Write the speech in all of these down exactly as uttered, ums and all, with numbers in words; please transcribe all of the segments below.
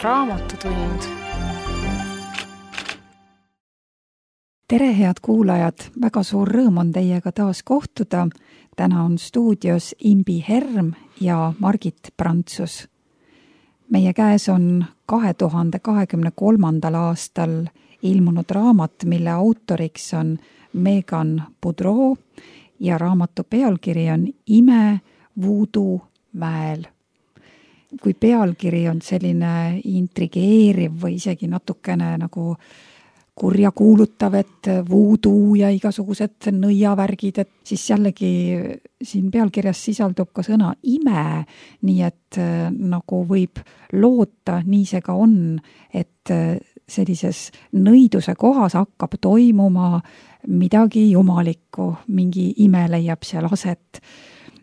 Raamatutund. Tere, head kuulajad! Väga suur rõõm on teiega taas kohtuda. Täna on stuudios Imbi Herm ja Margit Prantsus. Meie käes on kahe tuhande kahekümne kolmandal aastal ilmunud raamat, mille autoriks on Megan Boudreau ja raamatu pealkiri on Ime Voodoo mäel. Kui pealkiri on selline intrigeeriv või isegi natukene nagu kurja kuulutav, et voodoo ja igasugused nõiavärgid, et siis jällegi siin pealkirjas sisaldub ka sõna ime, nii et nagu võib loota, nii see ka on, et sellises nõiduse kohas hakkab toimuma midagi jumalikku, mingi ime leiab seal aset.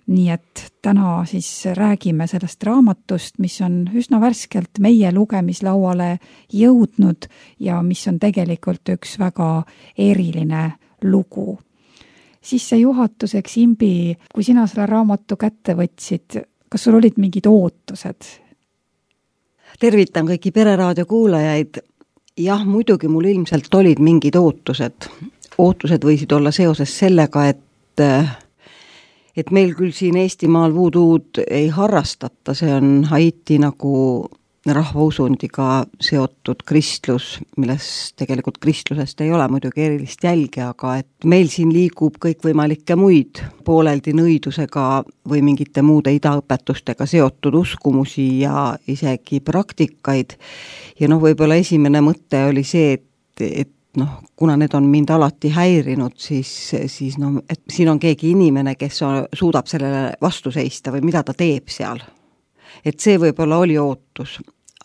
Nii et täna siis räägime sellest raamatust, mis on üsna värskelt meie lugemislauale jõudnud ja mis on tegelikult üks väga eriline lugu. Sissejuhatuseks, Imbi, kui sina selle raamatu kätte võtsid, kas sul olid mingid ootused? Tervitan kõiki Pereraadio kuulajaid. Jah, muidugi mul ilmselt olid mingid ootused. Ootused võisid olla seoses sellega, et et meil küll siin Eestimaal voodood ei harrastata, see on Haiti nagu rahvausundiga seotud kristlus, milles tegelikult kristlusest ei ole muidugi erilist jälge, aga et meil siin liigub kõikvõimalikke muid pooleldi nõidusega või mingite muude idaõpetustega seotud uskumusi ja isegi praktikaid. Ja noh, võib-olla esimene mõte oli see, et, et noh, kuna need on mind alati häirinud, siis, siis no, et siin on keegi inimene, kes on, suudab sellele vastu seista või mida ta teeb seal. Et see võib-olla oli ootus,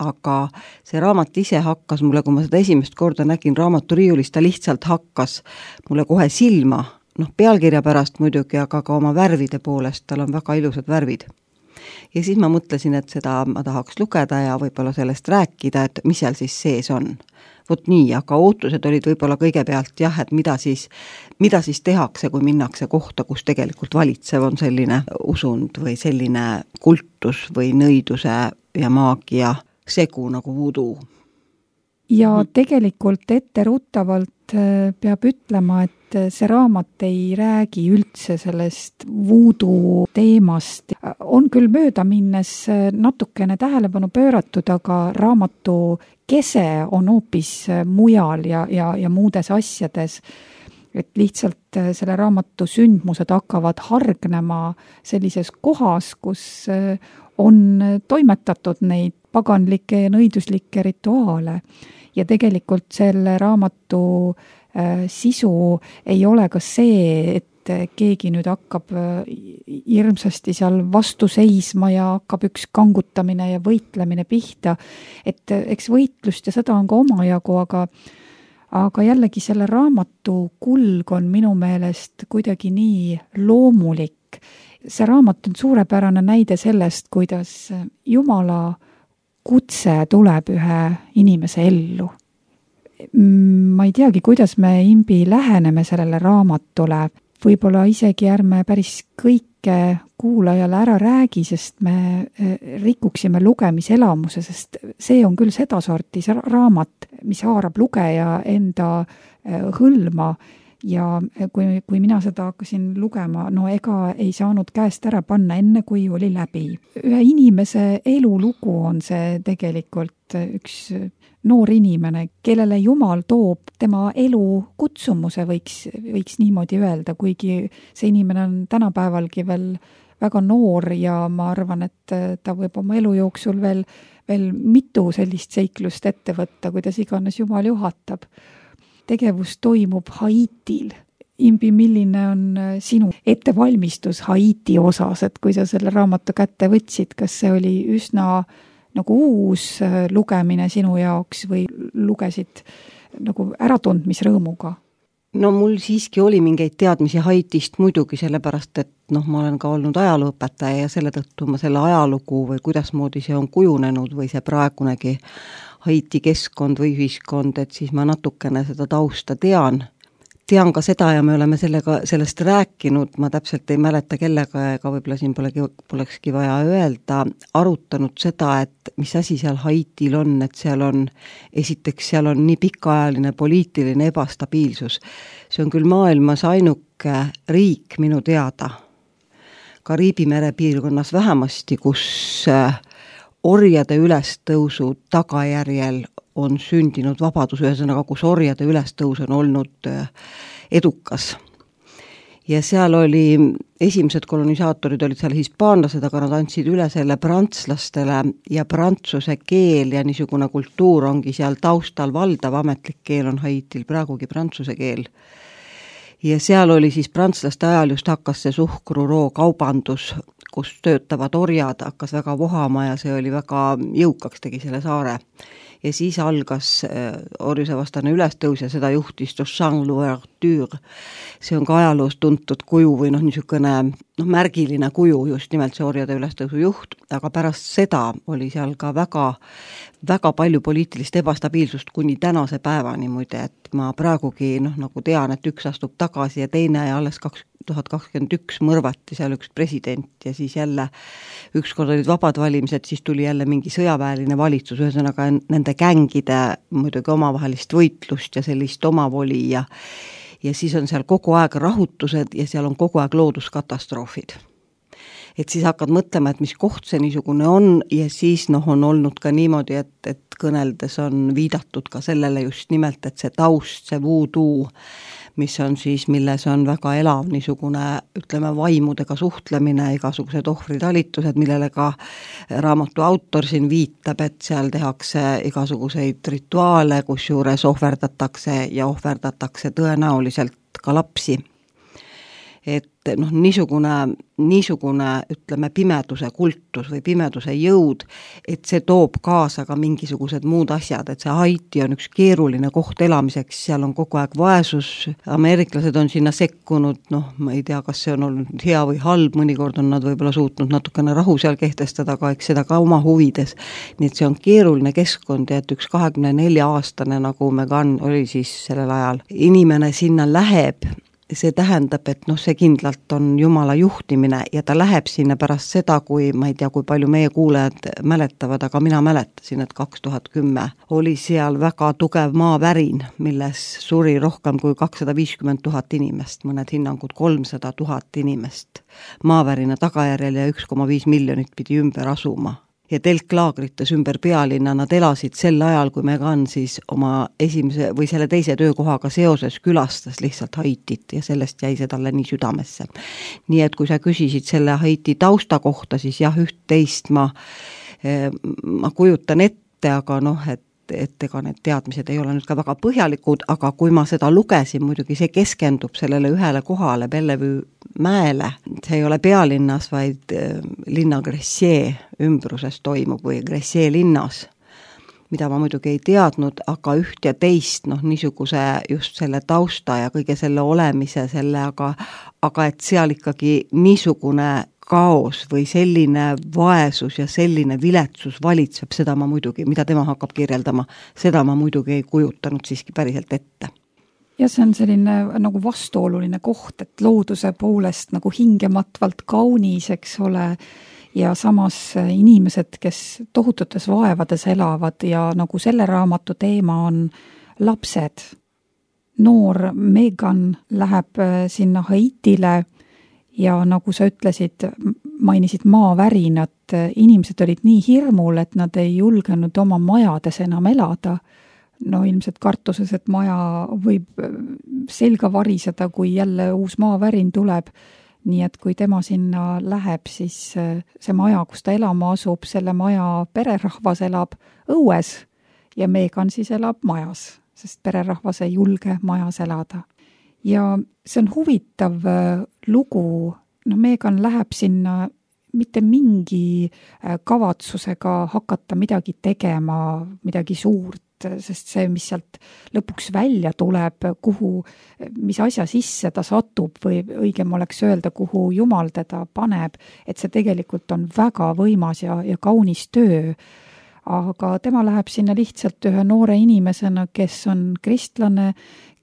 aga see raamat ise hakkas mulle, kui ma seda esimest korda nägin raamaturiiulis, ta lihtsalt hakkas mulle kohe silma, noh pealkirja pärast muidugi, aga ka oma värvide poolest, tal on väga ilusad värvid. Ja siis ma mõtlesin, et seda ma tahaks lugeda ja võib-olla sellest rääkida, et mis seal siis sees on. Vot nii, aga ootused olid võib-olla kõigepealt jah, et mida siis, mida siis tehakse, kui minnakse kohta, kus tegelikult valitsev on selline usund või selline kultus või nõiduse ja maagia segu nagu voodoo. Ja tegelikult etteruttavalt peab ütlema, et see raamat ei räägi üldse sellest voodoo teemast. On küll mööda minnes natukene tähelepanu pööratud, aga raamatu kese on hoopis mujal ja, ja, ja muudes asjades. Et lihtsalt selle raamatu sündmused hakkavad hargnema sellises kohas, kus on toimetatud neid paganlikke ja nõiduslikke rituaale. Ja tegelikult selle raamatu äh, sisu ei ole ka see, et keegi nüüd hakkab äh, hirmsasti seal vastu seisma ja hakkab üks kangutamine ja võitlemine pihta. Et äh, eks võitlust ja seda on ka omajagu, aga, aga jällegi selle raamatu kulg on minu meelest kuidagi nii loomulik. See raamat on suurepärane näide sellest, kuidas Jumala kutse tuleb ühe inimese ellu. Ma ei teagi, kuidas me Imbi läheneme sellele raamatule. Võib-olla isegi ärme päris kõike kuulajale ära räägi, sest me rikuksime lugemiselamuse, sest see on küll sedasorti raamat, mis haarab lugeja enda hõlma. Ja kui, kui mina seda hakkasin lugema, no ega ei saanud käest ära panna enne, kui oli läbi. Ühe inimese elulugu on see tegelikult üks noor inimene, kellele Jumal toob tema elu kutsumuse, võiks, võiks niimoodi öelda, kuigi see inimene on tänapäevalgi veel väga noor ja ma arvan, et ta võib oma elu jooksul veel, veel mitu sellist seiklust ette võtta, kuidas iganes Jumal juhatab. Tegevus toimub Haitil. Imbi, milline on sinu ettevalmistus Haiti osas, et kui sa selle raamatu kätte võtsid, kas see oli üsna nagu uus lugemine sinu jaoks või lugesid nagu äratundmisrõõmuga? No mul siiski oli mingeid teadmisi Haitist muidugi, sellepärast, et noh, ma olen ka olnud ajalooõpetaja ja selle tõttu ma selle ajalugu või kuidasmoodi see on kujunenud või see praegunegi Haiti keskkond või ühiskond, et siis ma natukene seda tausta tean. tean ka seda ja me oleme sellega, sellest rääkinud, ma täpselt ei mäleta kellega, ega võib-olla siin polegi, polekski vaja öelda, arutanud seda, et mis asi seal Haitil on, et seal on, esiteks seal on nii pikaajaline poliitiline ebastabiilsus. See on küll maailmas ainuke riik minu teada, Kariibi mere piirkonnas vähemasti, kus orjade ülestõusu tagajärjel on sündinud vabadus, ühesõnaga, kus orjade ülestõus on olnud edukas. Ja seal oli, esimesed kolonisaatorid olid seal hispaanlased, aga nad andsid üle selle prantslastele ja prantsuse keel ja niisugune kultuur ongi seal taustal valdav, ametlik keel on Haitil praegugi prantsuse keel. Ja seal oli siis prantslaste ajal just hakkas see suhkruroo kaubandus, kus töötavad orjad, hakkas väga vohama ja see oli väga jõukaks, tegi selle saare. Ja siis algas orjuse vastane ülestõus ja seda juhtis Toussaint Louverture. See on ka ajaloos tuntud kuju või noh, niisugune noh, märgiline kuju, just nimelt see orjade ülestõusu juht, aga pärast seda oli seal ka väga, väga palju poliitilist ebastabiilsust kuni tänase päevani muide, et ma praegugi noh, nagu tean, et üks astub tagasi ja teine ja alles kaks tuhat kakskümmend üks mõrvati seal üks president ja siis jälle ükskord olid vabad valimised, siis tuli jälle mingi sõjaväeline valitsus, ühesõnaga nende gängide muidugi omavahelist võitlust ja sellist omavoli ja, ja siis on seal kogu aeg rahutused ja seal on kogu aeg looduskatastroofid. Et siis hakkad mõtlema, et mis koht see niisugune on ja siis noh, on olnud ka niimoodi, et, et kõneldes on viidatud ka sellele just nimelt, et see taust, see voodoo, mis on siis, milles on väga elav niisugune, ütleme, vaimudega suhtlemine, igasugused ohvritalitused, millele ka raamatu autor siin viitab, et seal tehakse igasuguseid rituaale, kus juures ohverdatakse ja ohverdatakse tõenäoliselt ka lapsi. Et noh, niisugune, niisugune, ütleme, pimeduse kultus või pimeduse jõud, et see toob kaasa ka mingisugused muud asjad, et see Haiti on üks keeruline koht elamiseks, seal on kogu aeg vaesus, ameeriklased on sinna sekkunud, noh, ma ei tea, kas see on olnud hea või halb, mõnikord on nad võib-olla suutnud natukene rahu seal kehtestada, aga eks seda ka oma huvides, nii et see on keeruline keskkond ja et üks kahekümne nelja aastane, nagu Megan oli siis sellel ajal, inimene sinna läheb, see tähendab, et noh, see kindlalt on Jumala juhtimine ja ta läheb sinna pärast seda, kui ma ei tea, kui palju meie kuulajad mäletavad, aga mina mäletasin, et kaks tuhat kümme oli seal väga tugev maavärin, milles suri rohkem kui kakssada viiskümmend tuhat inimest, mõned hinnangud kolmsada tuhat inimest maavärina tagajärjel ja üks koma viis miljonit pidi ümber asuma. Ja telklaagrites ümber pealinna nad elasid sel ajal, kui Megan siis oma esimese või selle teise töökohaga seoses külastas lihtsalt Haitit ja sellest jäi see talle nii südamesse. Nii et kui sa küsisid selle Haiti tausta kohta, siis jah, üht-teist ma, ma kujutan ette, aga noh, et et ega need teadmised ei ole nüüd ka väga põhjalikud, aga kui ma seda lugesin, muidugi see keskendub sellele ühele kohale, Bellevue mäele, see ei ole pealinnas, vaid linna Gressier ümbruses toimub või Gressier linnas, mida ma muidugi ei teadnud, aga üht ja teist, noh, niisuguse just selle tausta ja kõige selle olemise selle, aga, aga et seal ikkagi niisugune kaos või selline vaesus ja selline viletsus valitseb, seda ma muidugi, mida tema hakkab kirjeldama, seda ma muidugi ei kujutanud siiski päriselt ette. Ja see on selline nagu vastuoluline koht, et looduse poolest nagu hingematvalt kaunis, eks ole, ja samas inimesed, kes tohututes vaevades elavad ja nagu selle raamatu teema on lapsed. Noor Megan läheb sinna Haitile ja nagu sa ütlesid, mainisid maavärinat, inimesed olid nii hirmul, et nad ei julgenud oma majades enam elada. No ilmselt kartuses, et maja võib selga variseda, kui jälle uus maavärin tuleb. Nii et kui tema sinna läheb, siis see maja, kus ta elama asub, selle maja pererahvas elab õues ja Megan siis elab majas, sest pererahvas ei julge majas elada. Ja see on huvitav lugu, no Megan läheb sinna mitte mingi kavatsusega hakata midagi tegema, midagi suurt, sest see, mis sealt lõpuks välja tuleb, kuhu, mis asja sisse ta satub või õigem oleks öelda, kuhu Jumal teda paneb, et see tegelikult on väga võimas ja, ja kaunis töö. Aga tema läheb sinna lihtsalt ühe noore inimesena, kes on kristlane,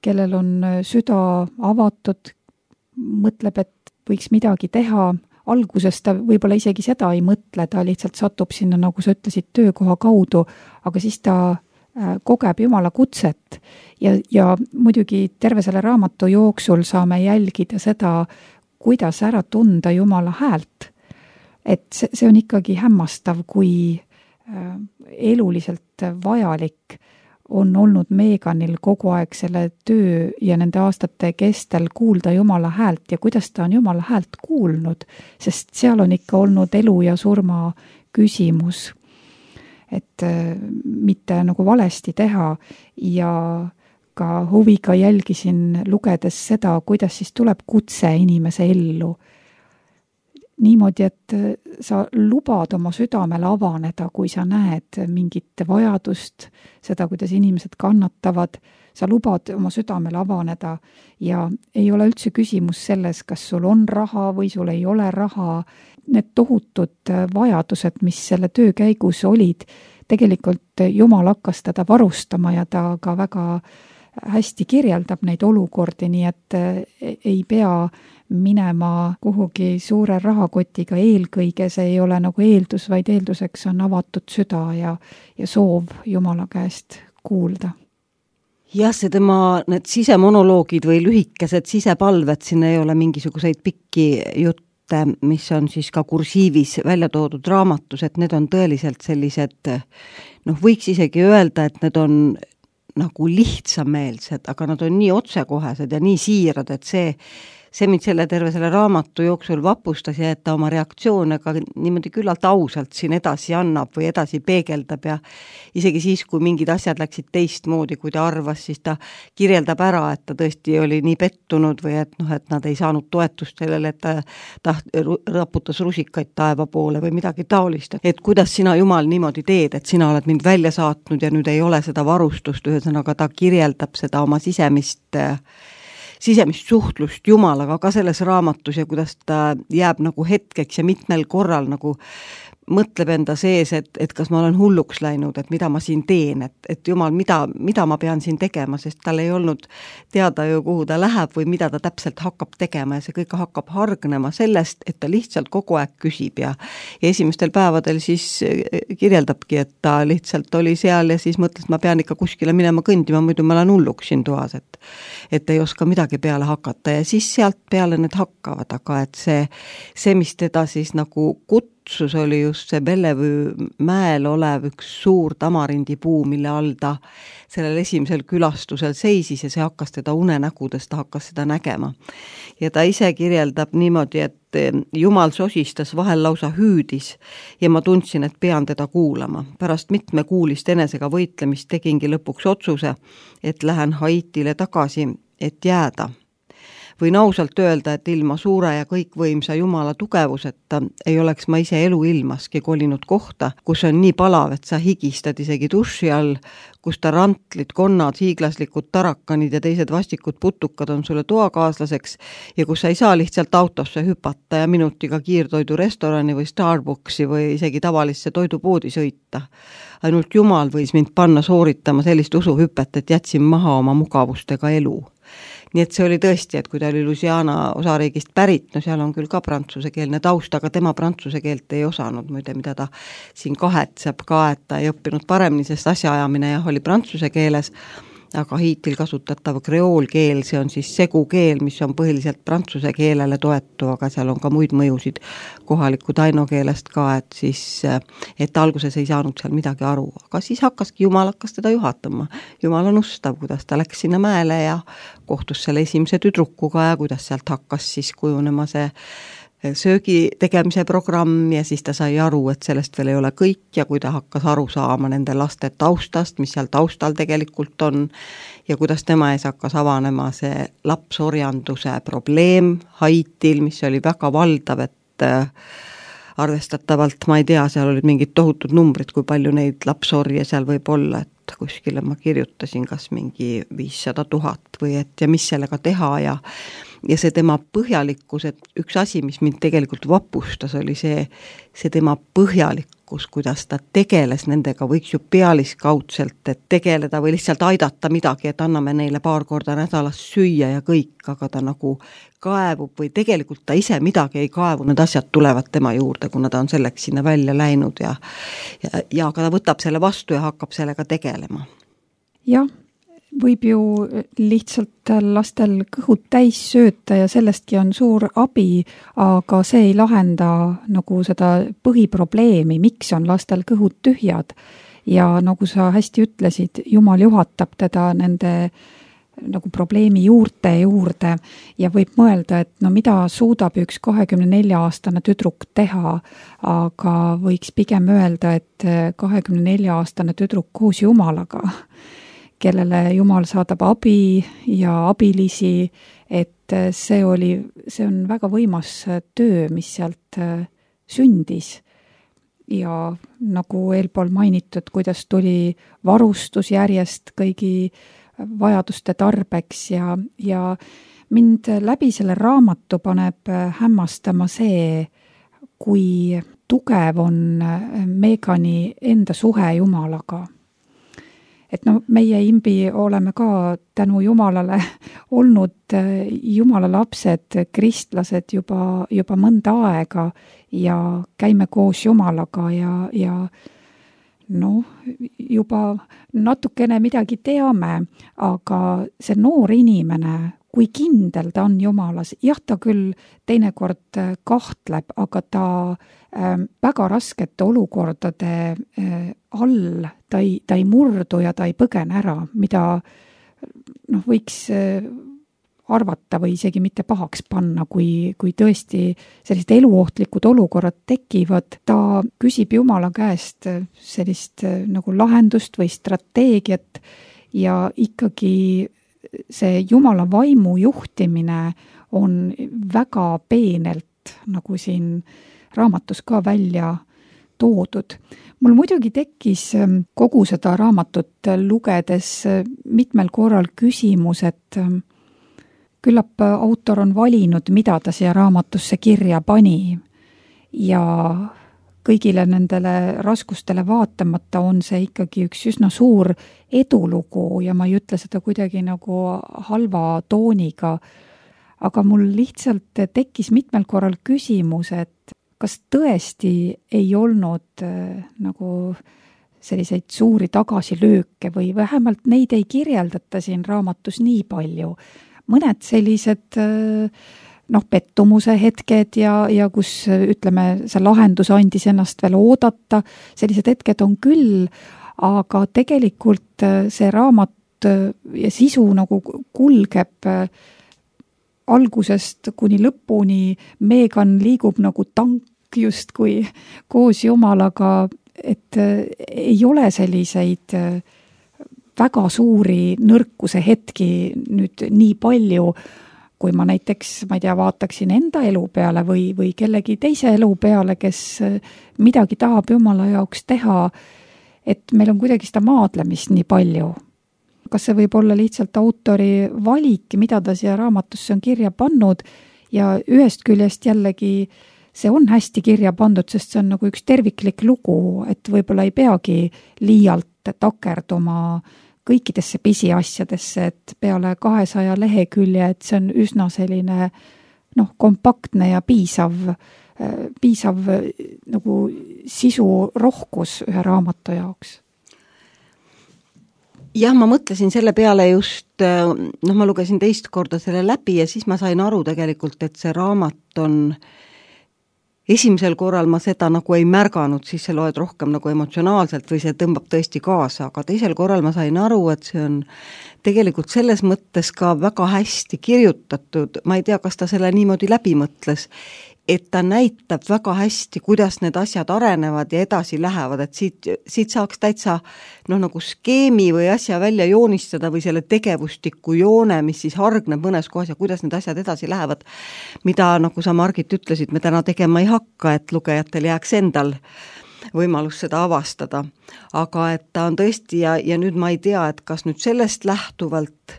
kellel on süda avatud, mõtleb, et võiks midagi teha. Alguses ta võib-olla isegi seda ei mõtle, ta lihtsalt satub sinna, nagu sa ütlesid, töökoha kaudu, aga siis ta kogeb Jumala kutset ja, ja muidugi terve selle raamatu jooksul saame jälgida seda, kuidas ära tunda Jumala häält. Et see, see on ikkagi hämmastav, kui eluliselt vajalik on olnud Meganil kogu aeg selle töö ja nende aastate kestel kuulda Jumala häält ja kuidas ta on Jumala häält kuulnud, sest seal on ikka olnud elu ja surma küsimus, et mitte nagu valesti teha ja ka huviga jälgisin lugedes seda, kuidas siis tuleb kutse inimese ellu. Niimoodi, et sa lubad oma südamele avaneda, kui sa näed mingit vajadust, seda, kuidas inimesed kannatavad, sa lubad oma südamele avaneda ja ei ole üldse küsimus selles, kas sul on raha või sul ei ole raha. Need tohutud vajadused, mis selle töö käigus olid, tegelikult Jumal hakkas teda varustama ja ta ka väga hästi kirjeldab neid olukordi, nii et ei pea minema kuhugi suure rahakotiga eelkõige, see ei ole nagu eeldus, vaid eelduseks on avatud süda ja, ja soov Jumala käest kuulda. Jah, see tema need sisemonoloogid või lühikesed sisepalved, siin ei ole mingisuguseid pikki jutte, mis on siis ka kursiivis välja toodud raamatus, et need on tõeliselt sellised, noh, võiks isegi öelda, et need on nagu lihtsameelsed, aga nad on nii otsekohesed ja nii siirad, et see see mind selle terve selle raamatu jooksul vapustas ja et ta oma reaktsioone ka niimoodi küllalt ausalt siin edasi annab või edasi peegeldab ja isegi siis, kui mingid asjad läksid teistmoodi, kui ta arvas, siis ta kirjeldab ära, et ta tõesti oli nii pettunud või et noh, et nad ei saanud toetust sellele, et ta, ta raputas rusikaid taeva poole või midagi taolist, et kuidas sina, Jumal, niimoodi teed, et sina oled mind välja saatnud ja nüüd ei ole seda varustust, ühesõnaga ta kirjeldab seda oma sisemist sisemist suhtlust Jumalaga ka selles raamatus ja kuidas ta jääb nagu hetkeks ja mitmel korral nagu mõtleb enda sees, et, et kas ma olen hulluks läinud, et mida ma siin teen, et, et Jumal, mida, mida ma pean siin tegema, sest tal ei olnud teada ju, kuhu ta läheb või mida ta täpselt hakkab tegema ja see kõik hakkab hargnema sellest, et ta lihtsalt kogu aeg küsib ja, ja esimestel päevadel siis kirjeldabki, et ta lihtsalt oli seal ja siis mõtles, et ma pean ikka kuskile minema kõndima, muidu ma olen hulluks siin toas, et, et ei oska midagi peale hakata ja siis sealt peale need hakkavad, aga et see, see, mis teda siis nagu kut-, kutsus oli just see Bellevue mäel olev üks suur tamarindipuu, mille all ta sellel esimesel külastusel seisis ja see hakkas teda unenägudes, ta hakkas seda nägema. Ja ta ise kirjeldab niimoodi, et Jumal sosistas, vahel lausa hüüdis ja ma tundsin, et pean teda kuulama. Pärast mitmekuulist enesega võitlemist tegingi lõpuks otsuse, et lähen Haitile tagasi, et jääda. Võin ausalt öelda, et ilma suure ja kõikvõimsa Jumala tugevuseta ei oleks ma ise elu ilmaski kolinud kohta, kus on nii palav, et sa higistad isegi duši all, kus ta rantlid, konnad, hiiglaslikud tarakanid ja teised vastikud putukad on sulle toakaaslaseks ja kus sa ei saa lihtsalt autosse hüpata ja minutiga kiirtoidu restorani või Starbucksi või isegi tavalisse toidupoodi sõita. Ainult Jumal võis mind panna sooritama sellist usuhüpet, et jätsin maha oma mugavustega elu. Nii et see oli tõesti, et kui ta oli Louisiana osariigist pärit, no seal on küll ka prantsusekeelne taust, aga tema prantsuse keelt ei osanud, muide, mida ta siin kahetseb ka, et ta ei õppinud paremini, sest asjaajamine jah, oli prantsuse keeles, aga Haitil kasutatav kreoolkeel, see on siis segukeel, mis on põhiliselt prantsuse keelele toetu, aga seal on ka muid mõjusid kohaliku tainokeelest ka, et siis, et alguses ei saanud seal midagi aru, aga siis hakkaski Jumal hakkas teda juhatama. Jumal on ustav, kuidas ta läks sinna mäele ja kohtus selle esimese tüdrukuga ja kuidas sealt hakkas siis kujunema see söögi tegemise programm ja siis ta sai aru, et sellest veel ei ole kõik ja kui ta hakkas aru saama nende laste taustast, mis seal taustal tegelikult on ja kuidas tema ees hakkas avanema see lapsorjanduse probleem Haitil, mis oli väga valdav, et arvestatavalt, ma ei tea, seal olid mingid tohutud numbrid, kui palju neid lapsorje seal võib olla, et kuskile ma kirjutasin kas mingi viissada tuhat või et ja mis sellega teha ja ja see tema põhjalikkus, et üks asi, mis mind tegelikult vapustas, oli see, see tema põhjalikkus, kuidas ta tegeles nendega, võiks ju pealiskaudselt, et tegeleda või lihtsalt aidata midagi, et anname neile paar korda nädalas süüa ja kõik, aga ta nagu kaevub või tegelikult ta ise midagi ei kaevu, need asjad tulevad tema juurde, kuna ta on selleks sinna välja läinud ja, ja, ja aga ta võtab selle vastu ja hakkab sellega tegelema. Jah, võib ju lihtsalt lastel kõhud täis sööta ja sellestki on suur abi, aga see ei lahenda nagu seda põhiprobleemi, miks on lastel kõhud tühjad. Ja nagu sa hästi ütlesid, Jumal juhatab teda nende nagu probleemi juurte juurde ja võib mõelda, et no mida suudab üks kahekümne nelja aastane tüdruk teha, aga võiks pigem öelda, et kahekümne nelja aastane tüdruk koos Jumalaga, kellele Jumal saadab abi ja abilisi, et see oli, see on väga võimas töö, mis sealt sündis. Ja nagu eelpool mainitud, kuidas tuli varustus järjest kõigi vajaduste tarbeks ja, ja mind läbi selle raamatu paneb hämmastama see, kui tugev on Megani enda suhe Jumalaga. Et no meie imbi oleme ka tänu Jumalale olnud Jumala lapsed, kristlased juba, juba mõnda aega ja käime koos Jumalaga ja, ja no juba natukene midagi teame, aga see noor inimene, kui kindel ta on Jumalas, jah, ta küll teinekord kahtleb, aga ta äh, väga raskete olukordade äh, all, ta ei, ta ei murdu ja ta ei põgene ära, mida noh, võiks äh, arvata või isegi mitte pahaks panna, kui, kui tõesti sellised eluohtlikud olukorrad tekivad. Ta küsib Jumala käest sellist äh, nagu lahendust või strateegiat ja ikkagi see Jumala vaimu juhtimine on väga peenelt, nagu siin raamatus ka välja toodud. Mul muidugi tekkis kogu seda raamatut lugedes mitmel korral küsimus, et küllap autor on valinud, mida ta siia raamatusse kirja pani ja kõigile nendele raskustele vaatamata on see ikkagi üks üsna suur edulugu ja ma ei ütle seda kuidagi nagu halva tooniga, aga mul lihtsalt tekkis mitmel korral küsimus, et kas tõesti ei olnud äh, nagu selliseid suuri tagasilööke või vähemalt neid ei kirjeldata siin raamatus nii palju. Mõned sellised äh, noh, pettumuse hetked ja, ja kus ütleme, see lahendus andis ennast veel oodata, sellised hetked on küll, aga tegelikult see raamat ja sisu nagu kulgeb algusest kuni lõpuni, Megan liigub nagu tank justkui koos Jumalaga, et ei ole selliseid väga suuri nõrkuse hetki nüüd nii palju, kui ma näiteks, ma ei tea, vaataksin enda elu peale või, või kellegi teise elu peale, kes midagi tahab Jumala jaoks teha, et meil on kuidagi seda maadlemist nii palju. Kas see võib olla lihtsalt autori valik, mida ta siia raamatusse on kirja pannud ja ühest küljest jällegi see on hästi kirja pandud, sest see on nagu üks terviklik lugu, et võib-olla ei peagi liialt takerduma kõikidesse pisiasjadesse, et peale kahesaja lehekülje, et see on üsna selline noh, kompaktne ja piisav, piisav nagu sisu rohkus ühe raamatu jaoks. Jah, ma mõtlesin selle peale just, noh, ma lugesin teist korda selle läbi ja siis ma sain aru tegelikult, et see raamat on esimesel korral ma seda nagu ei märganud, siis see loed rohkem nagu emotsionaalselt või see tõmbab tõesti kaasa, aga teisel korral ma sain aru, et see on tegelikult selles mõttes ka väga hästi kirjutatud, ma ei tea, kas ta selle niimoodi läbi mõtles, et ta näitab väga hästi, kuidas need asjad arenevad ja edasi lähevad, et siit, siit saaks täitsa noh, nagu skeemi või asja välja joonistada või selle tegevustiku joone, mis siis hargneb mõnes kohas ja kuidas need asjad edasi lähevad, mida, nagu sa Margit ütlesid, me täna tegema ei hakka, et lugejatel jääks endal võimalus seda avastada. Aga et ta on tõesti ja, ja nüüd ma ei tea, et kas nüüd sellest lähtuvalt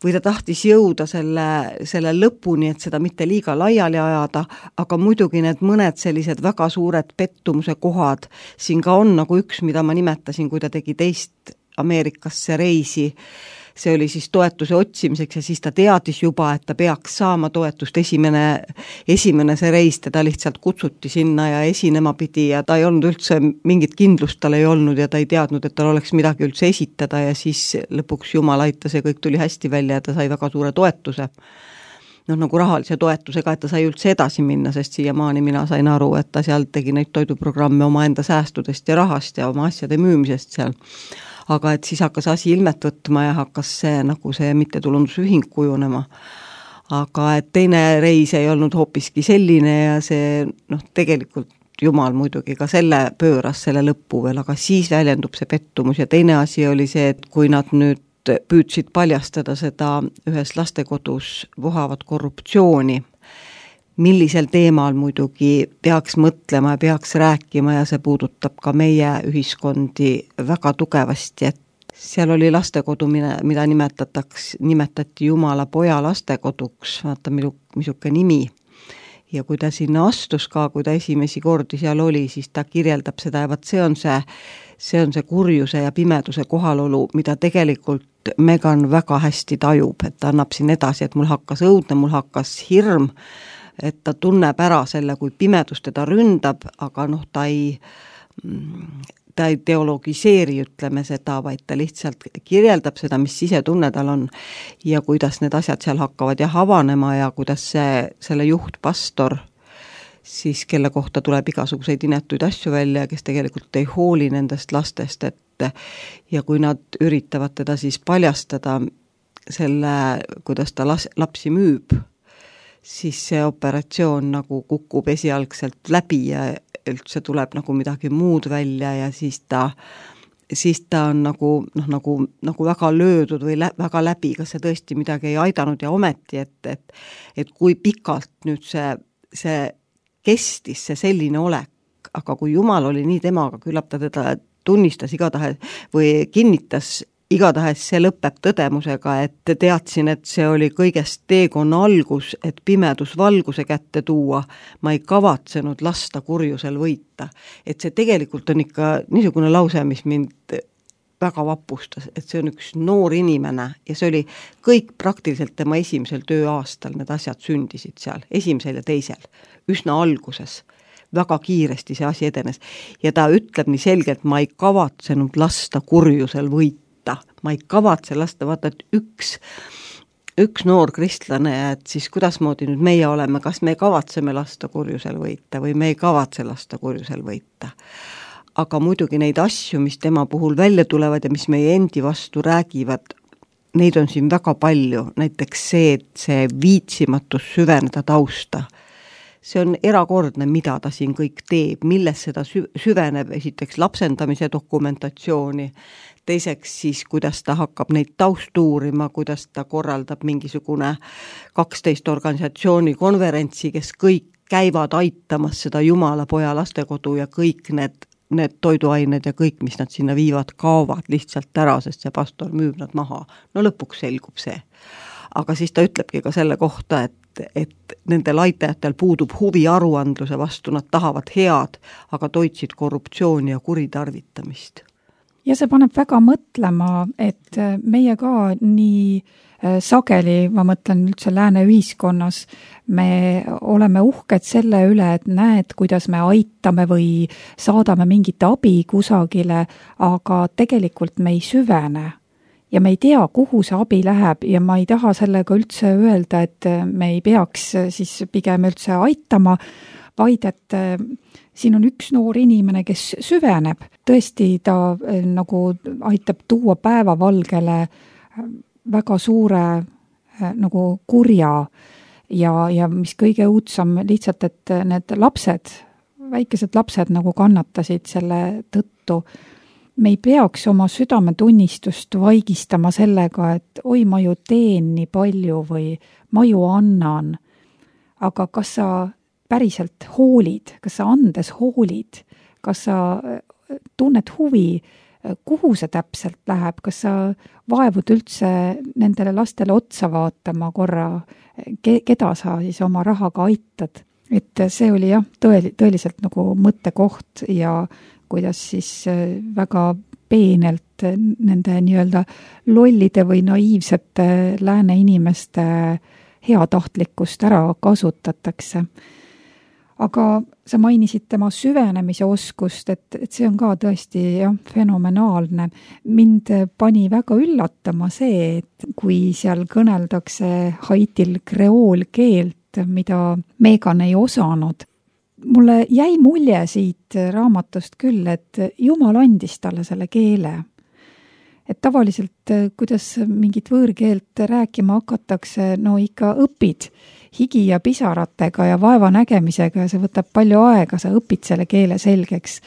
või ta tahtis jõuda selle, selle lõpuni, et seda mitte liiga laiali ajada, aga muidugi need mõned sellised väga suured pettumuse kohad siin ka on, nagu üks, mida ma nimetasin, kui ta tegi teist Ameerikasse reisi, see oli siis toetuse otsimiseks ja siis ta teadis juba, et ta peaks saama toetust esimene, esimene see reis, teda lihtsalt kutsuti sinna ja esinema pidi ja ta ei olnud üldse, mingit kindlust tal ei olnud ja ta ei teadnud, et tal oleks midagi üldse esitada ja siis lõpuks Jumal aitas ja kõik tuli hästi välja ja ta sai väga suure toetuse. Noh, nagu rahalise toetusega, et ta sai üldse edasi minna, sest siiamaani mina sain aru, et ta seal tegi neid toiduprogramme oma enda säästudest ja rahast ja oma asjade müümisest seal. Aga et siis hakkas asi ilmet võtma ja hakkas see nagu see mittetulundusühing kujunema. Aga et teine reis ei olnud hoopiski selline ja see noh, tegelikult Jumal muidugi ka selle pööras selle lõppu veel, aga siis väljendub see pettumus ja teine asi oli see, et kui nad nüüd püüdsid paljastada seda ühes lastekodus vohavat korruptsiooni, millisel teemal muidugi peaks mõtlema ja peaks rääkima ja see puudutab ka meie ühiskondi väga tugevasti, et seal oli lastekodu, mida nimetataks, nimetati Jumala poja lastekoduks, vaata misuke nimi. Ja kui ta sinna astus ka, kui ta esimesi kordi seal oli, siis ta kirjeldab seda ja vaat see on see, see on see kurjuse ja pimeduse kohalolu, mida tegelikult Megan väga hästi tajub, et ta annab siin edasi, et mul hakkas õudne, mul hakkas hirm, et ta tunneb ära selle, kui pimedus teda ründab, aga noh, ta ei, ta ei teologiseeri, ütleme seda, vaid ta lihtsalt kirjeldab seda, mis sisetunne tal on ja kuidas need asjad seal hakkavad jah avanema ja kuidas see, selle juhtpastor, siis kelle kohta tuleb igasuguseid inetuid asju välja, kes tegelikult ei hooli nendest lastest, et ja kui nad üritavad teda siis paljastada selle, kuidas ta las, lapsi müüb, siis see operatsioon nagu kukub esialgselt läbi ja üldse tuleb nagu midagi muud välja ja siis ta, siis ta on nagu, noh, nagu, nagu väga löödud või lä, väga läbi, kas see tõesti midagi ei aidanud ja ometi, et, et, et kui pikalt nüüd see, see kestis, see selline olek, aga kui Jumal oli nii temaga, küllap ta teda tunnistas igatahes või kinnitas igatahes see lõpeb tõdemusega, et teadsin, et see oli kõigest teekonna algus, et pimedus valguse kätte tuua, ma ei kavatsenud lasta kurjusel võita. Et see tegelikult on ikka niisugune lause, mis mind väga vapustas, et see on üks noor inimene ja see oli kõik praktiliselt tema esimesel tööaastal, need asjad sündisid seal, esimesel ja teisel, üsna alguses. Väga kiiresti see asi edenes ja ta ütleb nii selgelt, ma ei kavatsenud lasta kurjusel võita, ma ei kavatse lasta, vaata, et üks, üks noor kristlane, et siis kuidasmoodi nüüd meie oleme, kas me kavatseme lasta kurjusel võita või me ei kavatse lasta kurjusel võita. Aga muidugi neid asju, mis tema puhul välja tulevad ja mis meie endi vastu räägivad, neid on siin väga palju, näiteks see, et see viitsimatus süveneda tausta. See on erakordne, mida ta siin kõik teeb, milles seda süveneb, esiteks lapsendamise dokumentatsiooni, teiseks siis, kuidas ta hakkab neid taustuurima, kuidas ta korraldab mingisugune kaksteist organisatsiooni konverentsi, kes kõik käivad aitamas seda Jumala poja lastekodu ja kõik need, need toiduained ja kõik, mis nad sinna viivad, kaovad lihtsalt ära, sest see pastor müüb nad maha. No lõpuks selgub see. Aga siis ta ütlebki ka selle kohta, et et nendel aitajatel puudub huvi aruandluse vastu, nad tahavad head, aga toitsid korruptsiooni ja kuritarvitamist. Ja see paneb väga mõtlema, et meie ka nii sageli, ma mõtlen üldse lääne ühiskonnas, me oleme uhked selle üle, et näed, kuidas me aitame või saadame mingit abi kusagile, aga tegelikult me ei süvene. Ja me ei tea, kuhu see abi läheb ja ma ei taha sellega üldse öelda, et me ei peaks siis pigem üldse aitama, vaid et siin on üks noor inimene, kes süveneb. Tõesti, ta nagu aitab tuua päevavalgele väga suure nagu kurja ja, ja mis kõige õudsam lihtsalt, et need lapsed, väikesed lapsed nagu kannatasid selle tõttu. Me ei peaks oma südametunnistust vaigistama sellega, et oi, ma ju teen nii palju või ma ju annan. Aga kas sa päriselt hoolid, kas sa andes hoolid kas sa tunned huvi, kuhu see täpselt läheb, kas sa vaevud üldse nendele lastele otsa vaatama korra, ke, keda sa siis oma rahaga aitad. Et see oli jah, tõel, tõeliselt nagu mõttekoht ja kuidas siis väga peenelt nende nii-öelda lollide või naiivsete lääne inimeste heatahtlikkust ära kasutatakse. Aga sa mainisid tema süvenemise oskust, et, et see on ka tõesti jah, fenomenaalne. Mind pani väga üllatama see, et kui seal kõneldakse Haitil kreoolkeelt, mida Megan ei osanud. Mulle jäi mulje siit raamatust küll, et Jumal andis talle selle keele. Et tavaliselt, kuidas mingit võõrkeelt rääkima hakatakse, no ikka õpid higi ja pisaratega ja vaeva nägemisega ja see võtab palju aega, sa õpid selle keele selgeks.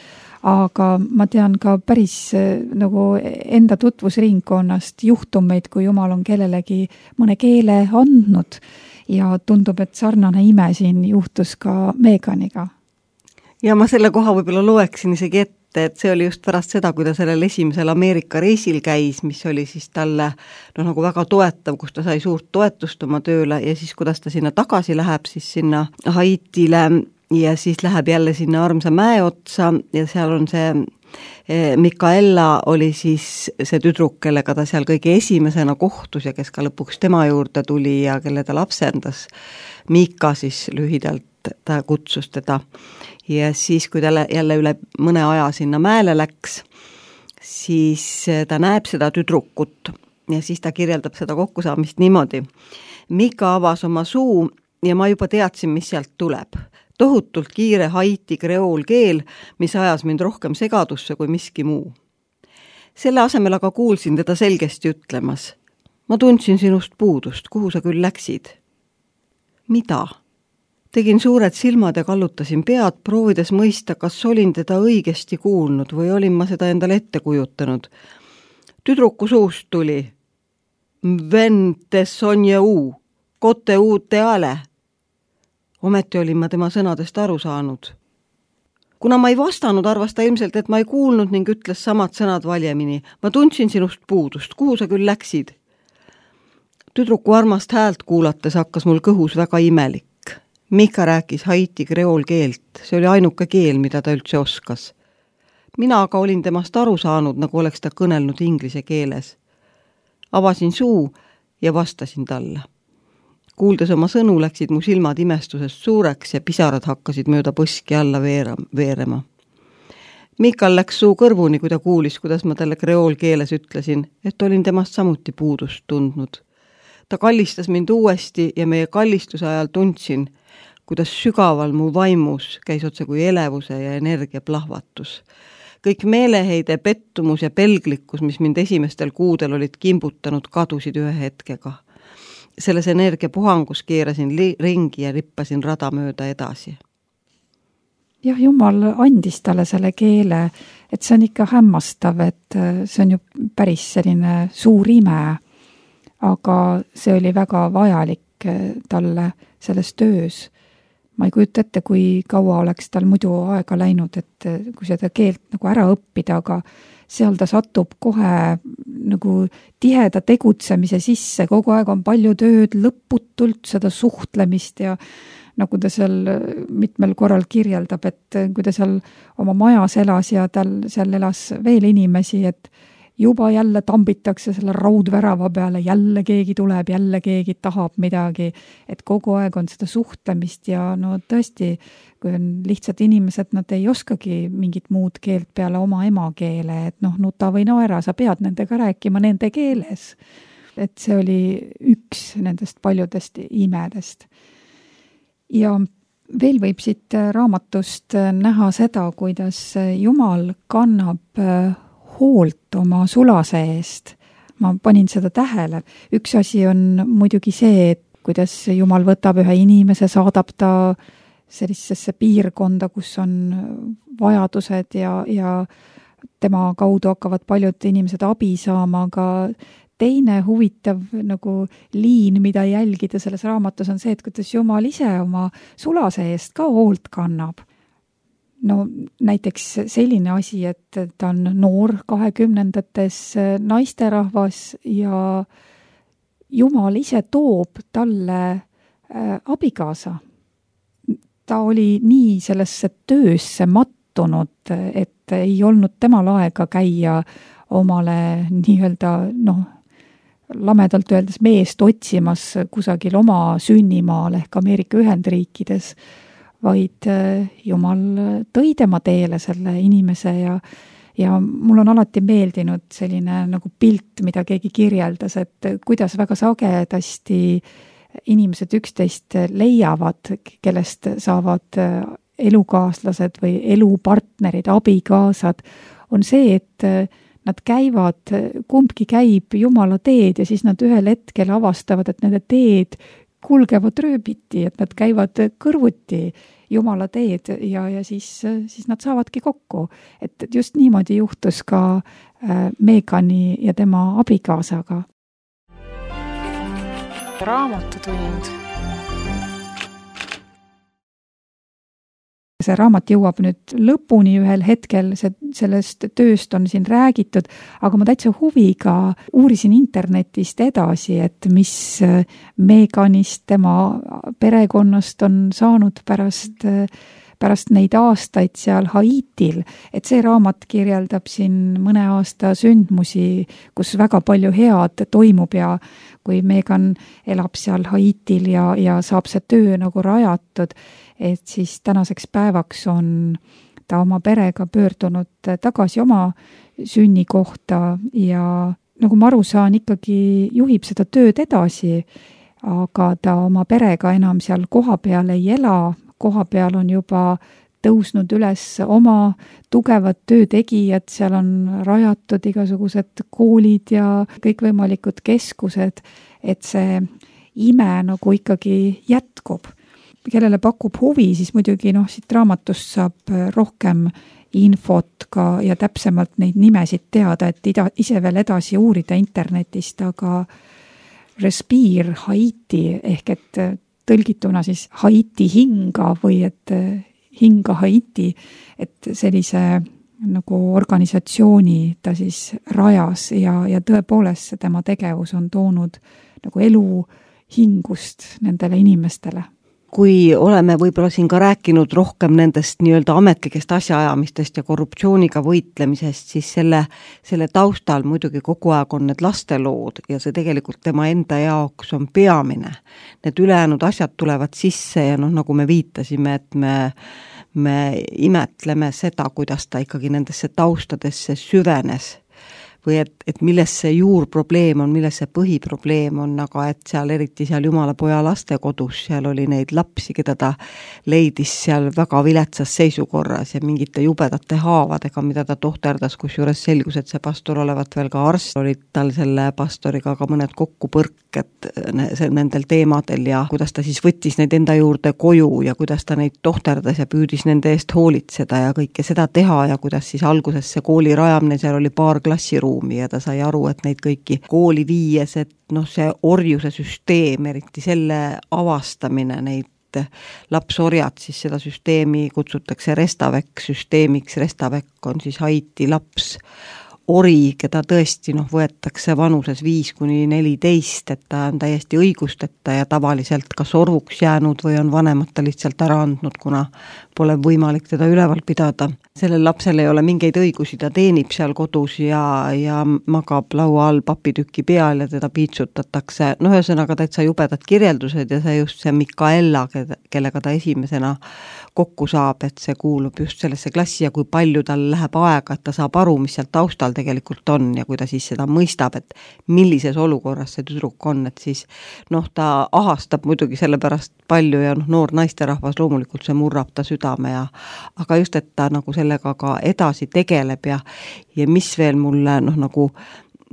Aga ma tean ka päris nagu enda tutvusringkonnast juhtumeid, kui Jumal on kellelegi mõne keele andnud ja tundub, et sarnane ime siin juhtus ka Meganiga. Ja ma selle koha võib-olla loeksin isegi ette, et see oli just pärast seda, kui ta sellel esimesel Ameerika reisil käis, mis oli siis talle no, nagu väga toetav, kus ta sai suurt toetust oma tööle ja siis kuidas ta sinna tagasi läheb, siis sinna Haitile ja siis läheb jälle sinna armsa mäe otsa ja seal on see Mikaela oli siis see tüdruk, kellega ta seal kõige esimesena kohtus ja kes ka lõpuks tema juurde tuli ja kelle ta lapsendas. Mika siis lühidalt ta kutsus teda ja siis, kui ta jälle üle mõne aja sinna mäele läks, siis ta näeb seda tüdrukut ja siis ta kirjeldab seda kokkusaamist niimoodi. Mika avas oma suu ja ma juba teadsin, mis sealt tuleb. Tohutult kiire haiti kreoolkeel, mis ajas mind rohkem segadusse kui miski muu. Selle asemel aga kuulsin teda selgesti ütlemas. Ma tundsin sinust puudust, kuhu sa küll läksid. Mida? Tegin suured silmad ja kallutasin pead, proovides mõista, kas olin teda õigesti kuulnud või olin ma seda endale ette kujutanud. Tüdruku suust tuli. Vente sonje uu, kote uute ale. Ometi olin ma tema sõnadest aru saanud. Kuna ma ei vastanud, arvas ta ilmselt, et ma ei kuulnud ning ütles samad sõnad valjemini. Ma tundsin sinust puudust, kuhu sa küll läksid? Tüdruku armast häält kuulates hakkas mul kõhus väga imelik. Mika rääkis haiti kreoolkeelt, see oli ainuke keel, mida ta üldse oskas. Mina aga olin temast aru saanud, nagu oleks ta kõnelnud inglise keeles. Avasin suu ja vastasin talle. Kuuldes oma sõnu läksid mu silmad imestusest suureks ja pisarad hakkasid mööda põski alla veerema. Mikal läks suu kõrvuni, kui ta kuulis, kuidas ma talle kreoolkeeles ütlesin, et olin temast samuti puudust tundnud. Ta kallistas mind uuesti ja meie kallistuse ajal tundsin, kuidas sügaval mu vaimus käis otse kui elevuse ja energia plahvatus. Kõik meeleheide, pettumus ja pelglikkus, mis mind esimestel kuudel olid kimbutanud, kadusid ühe hetkega. Selles energiapuhangus keerasin li- ringi ja rippasin rada mööda edasi. Jah, Jumal andis talle selle keele, et see on ikka hämmastav, et see on ju päris selline suur ime, aga see oli väga vajalik talle selles töös. Ma ei kujuta ette, kui kaua oleks tal muidu aega läinud, et kui seda keelt nagu ära õppida, aga seal ta satub kohe nagu tiheda tegutsemise sisse, kogu aeg on palju tööd, lõputult seda suhtlemist ja nagu ta seal mitmel korral kirjeldab, et kui ta seal oma majas elas ja tal seal elas veel inimesi, et juba jälle tambitakse selle raudvärava peale, jälle keegi tuleb, jälle keegi tahab midagi, et kogu aeg on seda suhtlemist ja no tõesti, kui on lihtsad inimesed, nad ei oskagi mingit muud keelt peale oma emakeele, et noh, nuta või naera, sa pead nendega rääkima nende keeles. Et see oli üks nendest paljudest imedest. Ja veel võib siit raamatust näha seda, kuidas Jumal kannab hoolt oma sulase eest. Ma panin seda tähele. Üks asi on muidugi see, et kuidas Jumal võtab ühe inimese, saadab ta sellisesse piirkonda, kus on vajadused ja, ja tema kaudu hakkavad paljud inimesed abi saama, aga teine huvitav nagu liin, mida jälgida selles raamatus on see, et kuidas Jumal ise oma sulase eest ka hoolt kannab. no näiteks selline asi, et ta on noor kahekümnendates naisterahvas ja Jumal ise toob talle äh, abikaasa. Ta oli nii sellesse töösse mattunud, et ei olnud temal aega käia omale nii-öelda, noh, lamedalt öeldes meest otsimas kusagil oma sünnimaal ehk Ameerika Ühendriikides, vaid Jumal tõi tema teele selle inimese ja Ja mul on alati meeldinud selline nagu pilt, mida keegi kirjeldas, et kuidas väga sagedasti inimesed üksteist leiavad, kellest saavad elukaaslased või elupartnerid, abikaasad, on see, et nad käivad, kumbki käib Jumala teed ja siis nad ühel hetkel avastavad, et nende teed kulgevad rööbiti, et nad käivad kõrvuti Jumala teed ja, ja siis, siis nad saavadki kokku. Et just niimoodi juhtus ka Megani ja tema abikaasaga. Raamatutund. See raamat jõuab nüüd lõpuni ühel hetkel, see, sellest tööst on siin räägitud, aga ma täitsa huviga uurisin internetist edasi, et mis Meganist, tema perekonnast on saanud pärast, pärast neid aastaid seal Haitil. Et see raamat kirjeldab siin mõne aasta sündmusi, kus väga palju head toimub ja kui Megan elab seal Haitil ja, ja saab see töö nagu rajatud, et siis tänaseks päevaks on ta oma perega pöördunud tagasi oma sünnikohta ja nagu ma aru saan, ikkagi juhib seda tööd edasi, aga ta oma perega enam seal koha peal ei ela, koha peal on juba tõusnud üles oma tugevad töötegijad, seal on rajatud igasugused koolid ja kõikvõimalikud keskused, et see ime nagu ikkagi jätkub. Kellele pakub huvi, siis muidugi noh, siit raamatust saab rohkem infot ka ja täpsemalt neid nimesid teada, et ida, ise veel edasi uurida internetist, aga Respire Haiti ehk et tõlgituna siis Haiti hinga või et hinga Haiti, et sellise nagu organisatsiooni ta siis rajas ja, ja tõepoolest tema tegevus on toonud nagu elu hingust nendele inimestele. Kui oleme võib-olla siin ka rääkinud rohkem nendest nii-öelda ametlikest asjaajamistest ja korruptsiooniga võitlemisest, siis selle, selle taustal muidugi kogu aeg on need lastelood ja see tegelikult tema enda jaoks on peamine. Need ülejäänud asjad tulevad sisse ja noh, nagu me viitasime, et me, me imetleme seda, kuidas ta ikkagi nendesse taustadesse süvenes või et, et milles see juurprobleem on, milles see põhiprobleem on, aga et seal eriti seal Jumala poja lastekodus, seal oli neid lapsi, keda ta leidis seal väga viletsas seisukorras ja mingite jubedate haavadega, mida ta tohterdas, kus juures selgus, et see pastor olevat veel ka arst, olid tal selle pastoriga ka mõned kokkupõrked nendel teemadel ja kuidas ta siis võttis neid enda juurde koju ja kuidas ta neid tohterdas ja püüdis nende eest hoolitseda ja kõike seda teha ja kuidas siis alguses see kooli rajamine, seal oli paar klassiruumi ja ta sai aru, et neid kõiki kooli viies, et noh, see orjuse süsteem, eriti selle avastamine, neid lapsorjad, siis seda süsteemi kutsutakse Restavek süsteemiks, Restavek on siis Haiti laps ori, keda tõesti noh, võetakse vanuses viis kuni neliteist, et ta on täiesti õigusteta ja tavaliselt kas orvuks jäänud või on vanemad ta lihtsalt ära andnud, kuna pole võimalik teda üleval pidada. Sellel lapsel ei ole mingeid õigusi, ta teenib seal kodus ja, ja magab laua all papitükki peal ja teda piitsutatakse. No ühesõnaga täitsa jubedad kirjeldused ja see just see Mikaela, kellega ta esimesena kokku saab, et see kuulub just sellesse klassi ja kui palju tal läheb aega, et ta saab aru, mis seal taustal tegelikult on ja kui ta siis seda mõistab, et millises olukorras see tüdruk on, et siis noh, ta ahastab muidugi sellepärast palju ja noh, noor naisterahvas loomulikult see murrab ta südame ja aga just, et ta nagu sellega ka edasi tegeleb ja, ja mis veel mulle noh, nagu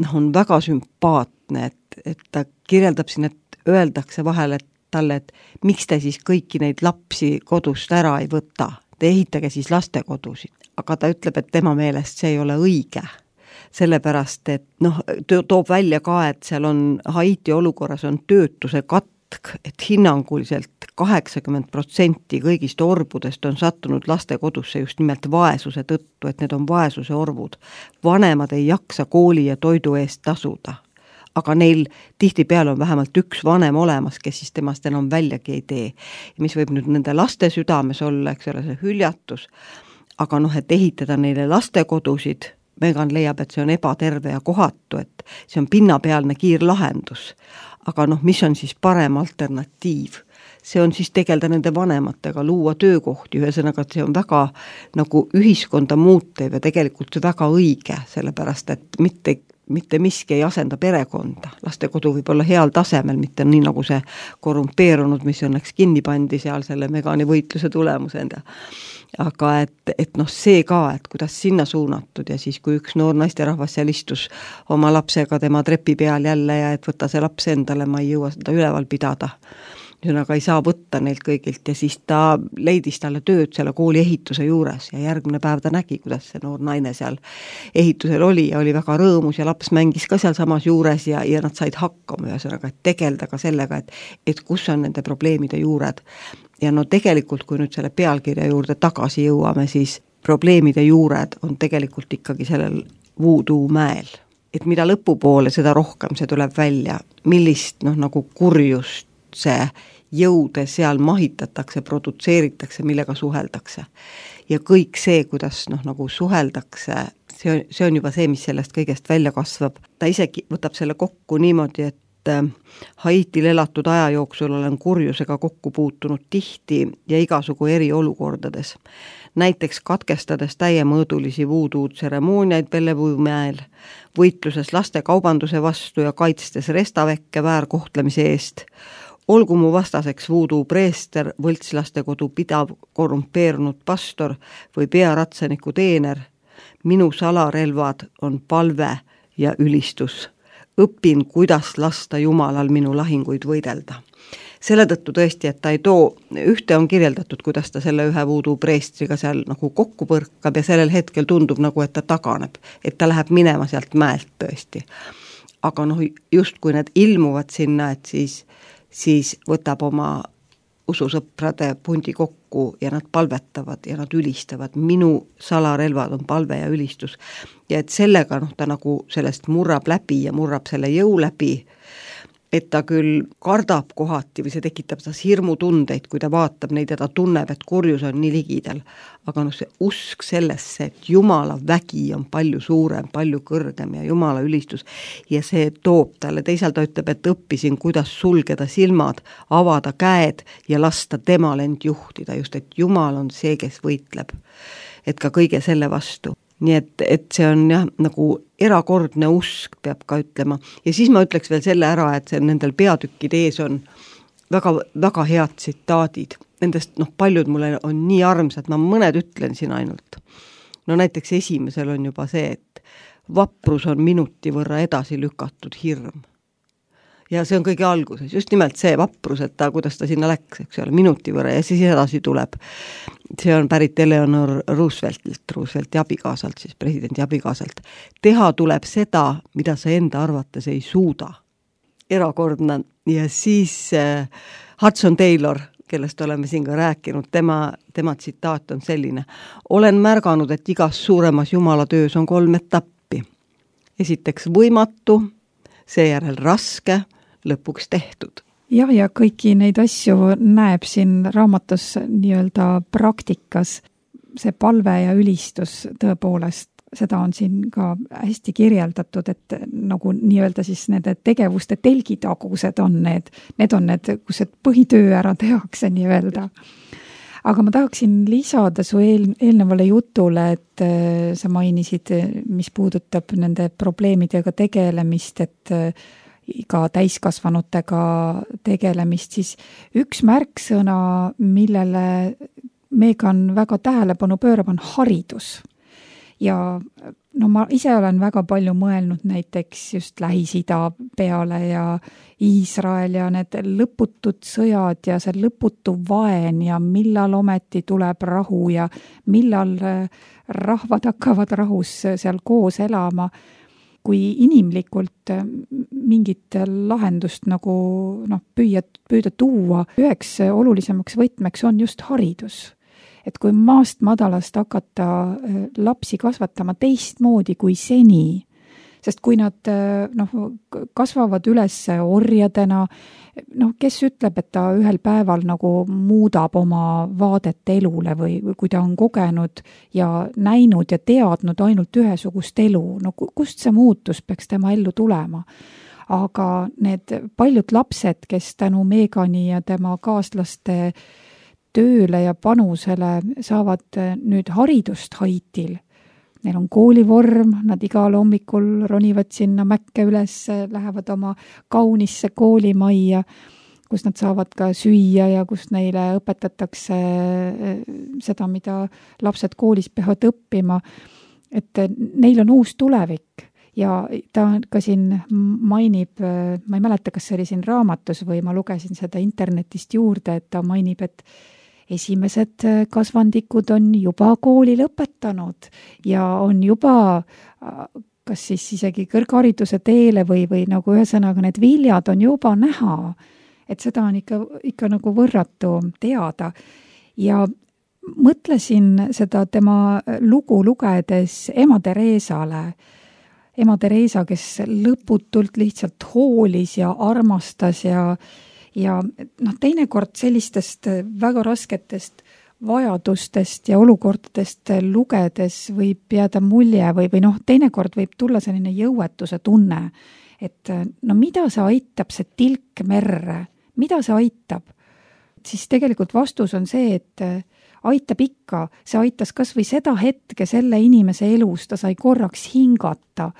noh, on väga sümpaatne, et, et ta kirjeldab siin, et öeldakse vahel, et talle, et miks te siis kõiki neid lapsi kodust ära ei võta, te ehitage siis lastekodusid, aga ta ütleb, et tema meelest see ei ole õige. Sellepärast, et noh, toob välja ka, et seal on Haiti olukorras on töötuse katt jätk, et hinnanguliselt kaheksakümmend protsenti kõigist orbudest on sattunud lastekodusse just nimelt vaesuse tõttu, et need on vaesuse orvud. Vanemad ei jaksa kooli ja toidu eest tasuda, aga neil tihtipeale on vähemalt üks vanem olemas, kes siis temast enam väljagi ei tee. Mis võib nüüd nende laste südames olla, eks ole, see hüljatus, aga noh, et ehitada neile lastekodusid, Megan leiab, et see on ebaterve ja kohatu, et see on pinnapealne kiirlahendus. Aga noh, mis on siis parem alternatiiv? See on siis tegelda nende vanematega, luua töökohti, ühesõnaga, et see on väga nagu ühiskonda muutev ja tegelikult väga õige, sellepärast, et mitte, mitte miski ei asenda perekonda. Lastekodu võib olla heal tasemel, mitte nii nagu see korrumpeerunud, mis õnneks kinni pandi seal selle Megani võitluse tulemusenda. Aga et, et noh, see ka, et kuidas sinna suunatud ja siis, kui üks noor naisterahvas seal istus oma lapsega tema trepi peal jälle ja et võtta see laps endale, ma ei jõua seda üleval pidada. Ühesõnaga ei saa võtta neilt kõigilt ja siis ta leidis talle tööd selle kooli ehituse juures ja järgmine päev ta nägi, kuidas see noor naine seal ehitusel oli ja oli väga rõõmus ja laps mängis ka seal samas juures ja, ja nad said hakkama, ühesõnaga, et tegelda ka sellega, et, et kus on nende probleemide juured. Ja no tegelikult, kui nüüd selle pealkirja juurde tagasi jõuame, siis probleemide juured on tegelikult ikkagi sellel voodoo mäel. Et mida lõpupoole, seda rohkem see tuleb välja, millist noh, nagu kurjust see jõude seal mahitatakse, produtseeritakse, millega suheldakse. Ja kõik see, kuidas noh, nagu suheldakse, see on, see on juba see, mis sellest kõigest välja kasvab. Ta isegi võtab selle kokku niimoodi, et Haitil elatud aja jooksul olen kurjusega kokku puutunud tihti ja igasugu eri olukordades. Näiteks katkestades täiemõõdulisi voodoo tseremooniaid Bellevue-mäel, võitluses laste kaubanduse vastu ja kaitstes restavekke väärkohtlemise eest, olgu mu vastaseks voodoo preester, võltslastekodu pidav korrumpeerunud pastor või pearatsaniku teener, minu salarelvad on palve ja ülistus. Õpin, kuidas lasta Jumalal minu lahinguid võidelda. Selle tõttu tõesti, et ta ei too, ühte on kirjeldatud, kuidas ta selle ühe voodoo preestriga seal nagu kokku põrkab ja sellel hetkel tundub nagu, et ta taganeb, et ta läheb minema sealt mäelt tõesti. Aga noh, just kui need ilmuvad sinna, et siis, siis võtab oma ususõprade pundi kokku ja nad palvetavad ja nad ülistavad. Minu salarelvad on palve ja ülistus. Ja et sellega noh, ta nagu sellest murrab läbi ja murrab selle jõu läbi, et ta küll kardab kohati või see tekitab tas hirmutundeid, kui ta vaatab neid ja ta tunneb, et kurjus on nii ligidal. Aga noh, see usk sellesse, et Jumala vägi on palju suurem, palju kõrgem ja Jumala ülistus ja see toob talle, teisalt ta ütleb, et õppisin, kuidas sulgeda silmad, avada käed ja lasta temal end juhtida, just et Jumal on see, kes võitleb, et ka kõige selle vastu. Nii et, et see on jah, nagu erakordne usk, peab ka ütlema. Ja siis ma ütleks veel selle ära, et see nendel peatükkide ees on väga, väga head tsitaadid. Nendest noh, paljud mulle on nii armsad, ma mõned ütlen siin ainult. No näiteks esimesel on juba see, et vaprus on minuti võrra edasi lükatud hirm. Ja see on kõige alguses, just nimelt see vaprus, et ta, kuidas ta sinna läks, eks ole, minuti võrra ja siis edasi tuleb. See on pärit Eleanor Rooseveltilt, Roosevelti abikaasalt, siis presidendi abikaasalt. Teha tuleb seda, mida sa enda arvates ei suuda. Erakordne. Ja siis äh, Hudson Taylor, kellest oleme siin ka rääkinud, tema, tema tsitaat on selline. Olen märganud, et igas suuremas Jumala töös on kolm etappi. Esiteks võimatu, seejärel raske, lõpuks tehtud. Jah, ja kõiki neid asju näeb siin raamatus nii-öelda praktikas. See palve ja ülistus tõepoolest, seda on siin ka hästi kirjeldatud, et nagu nii-öelda siis nende tegevuste telgitagused on need, need on need, kus see põhitöö ära tehakse nii-öelda. Aga ma tahaksin lisada su eel, eelnevale jutule, et sa mainisid, mis puudutab nende probleemidega tegelemist, et ka täiskasvanutega tegelemist, siis üks märksõna, millele Megan väga tähelepanu pöörab, on haridus. Ja no ma ise olen väga palju mõelnud näiteks just Lähis-Ida peale ja Iisrael ja need lõputud sõjad ja see lõputu vaen ja millal ometi tuleb rahu ja millal rahvad hakkavad rahus seal koos elama. kui inimlikult mingit lahendust nagu noh, püüa, püüda tuua, üheks olulisemaks võtmeks on just haridus. Et kui maast madalast hakata lapsi kasvatama teistmoodi kui seni, sest kui nad noh, kasvavad üles orjadena, noh, kes ütleb, et ta ühel päeval nagu muudab oma vaadet elule või, või kui ta on kogenud ja näinud ja teadnud ainult ühesugust elu, no kust see muutus peaks tema ellu tulema? Aga need paljud lapsed, kes tänu Megani ja tema kaaslaste tööle ja panusele saavad nüüd haridust Haitil, neil on koolivorm, nad igal hommikul ronivad sinna mäkke üles, lähevad oma kaunisse koolimajja, kus nad saavad ka süüa ja kus neile õpetatakse seda, mida lapsed koolis peavad õppima. Et neil on uus tulevik ja ta ka siin mainib, ma ei mäleta, kas see oli siin raamatus või ma lugesin seda internetist juurde, et ta mainib, et esimesed kasvandikud on juba kooli lõpetanud ja on juba kas siis isegi kõrghariduse teele või, või nagu ühesõnaga need viljad on juba näha, et seda on ikka, ikka nagu võrratu teada. Ja mõtlesin seda tema lugu lugedes ema Tereesale, ema Tereesa, kes lõputult lihtsalt hoolis ja armastas ja Ja noh, teinekord sellistest väga rasketest vajadustest ja olukordadest lugedes võib jääda mulje või, või noh, teinekord võib tulla selline jõuetuse tunne, et no mida see aitab, see tilk merre, mida see aitab? Siis tegelikult vastus on see, et aitab ikka, see aitas kas või seda hetke selle inimese elus, ta sai korraks hingata,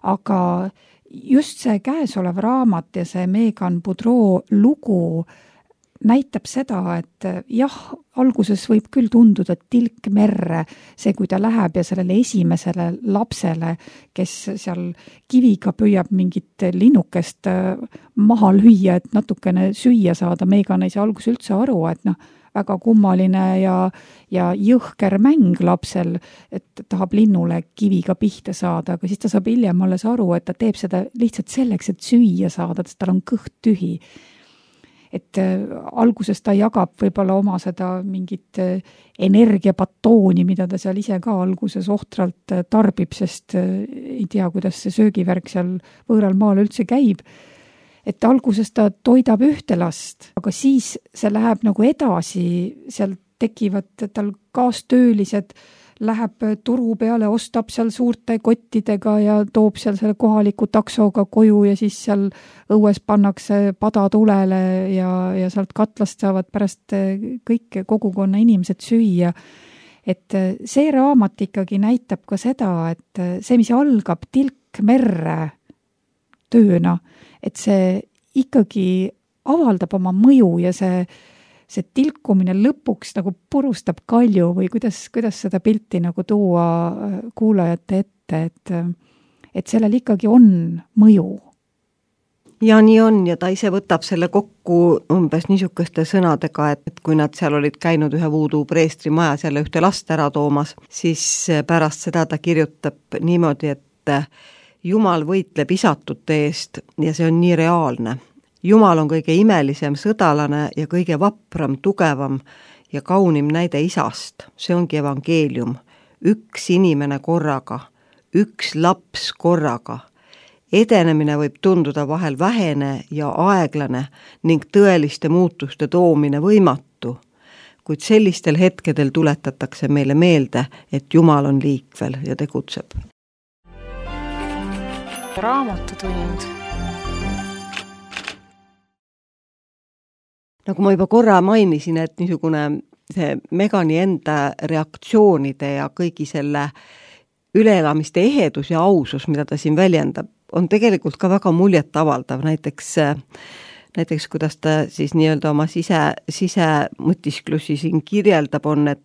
aga just see käesolev raamat ja see Megan Boudreau lugu näitab seda, et jah, alguses võib küll tunduda tilk merre, see, kui ta läheb ja sellele esimesele lapsele, kes seal kiviga püüab mingit linnukest maha lüüa, et natukene süüa saada, Megan ei saa alguses üldse aru, et noh, väga kummaline ja, ja jõhker mäng lapsel, et tahab linnule kiviga pihta saada, aga siis ta saab hiljem alles aru, et ta teeb seda lihtsalt selleks, et süüa saada, sest tal on kõht tühi. Et äh, alguses ta jagab võib-olla oma seda mingit äh, energiapatooni, mida ta seal ise ka alguses ohtralt äh, tarbib, sest äh, ei tea, kuidas see söögivärk seal võõral maal üldse käib. Et alguses ta toidab ühte last, aga siis see läheb nagu edasi, seal tekivad tal kaastöölised, läheb turu peale, ostab seal suurte kottidega ja toob seal selle kohaliku taksoga koju ja siis seal õues pannakse pada tulele ja, ja sealt katlast saavad pärast kõik kogukonna inimesed süüa. Et see raamat ikkagi näitab ka seda, et see, mis algab tilk merre tööna, et see ikkagi avaldab oma mõju ja see, see tilkumine lõpuks nagu purustab kalju või kuidas, kuidas seda pilti nagu tuua kuulajate ette, et, et sellel ikkagi on mõju. Ja nii on ja ta ise võtab selle kokku umbes niisuguste sõnadega, et kui nad seal olid käinud ühe voodoo preestri majas jälle ühte last ära toomas, siis pärast seda ta kirjutab niimoodi, et Jumal võitleb isatute eest ja see on nii reaalne. Jumal on kõige imelisem sõdalane ja kõige vapram, tugevam ja kaunim näide isast. See ongi evangeelium. Üks inimene korraga, üks laps korraga. Edenemine võib tunduda vahel vähene ja aeglane ning tõeliste muutuste toomine võimatu, kuid sellistel hetkedel tuletatakse meile meelde, et Jumal on liikvel ja tegutseb. Raamatutund. Nagu ma juba korra mainisin, et niisugune see Megani enda reaktsioonide ja kõigi selle üleelamiste ehedus ja ausus, mida ta siin väljendab, on tegelikult ka väga muljet avaldav. Näiteks, näiteks kuidas ta siis nii-öelda oma sise, sise mõtisklusi siin kirjeldab on, et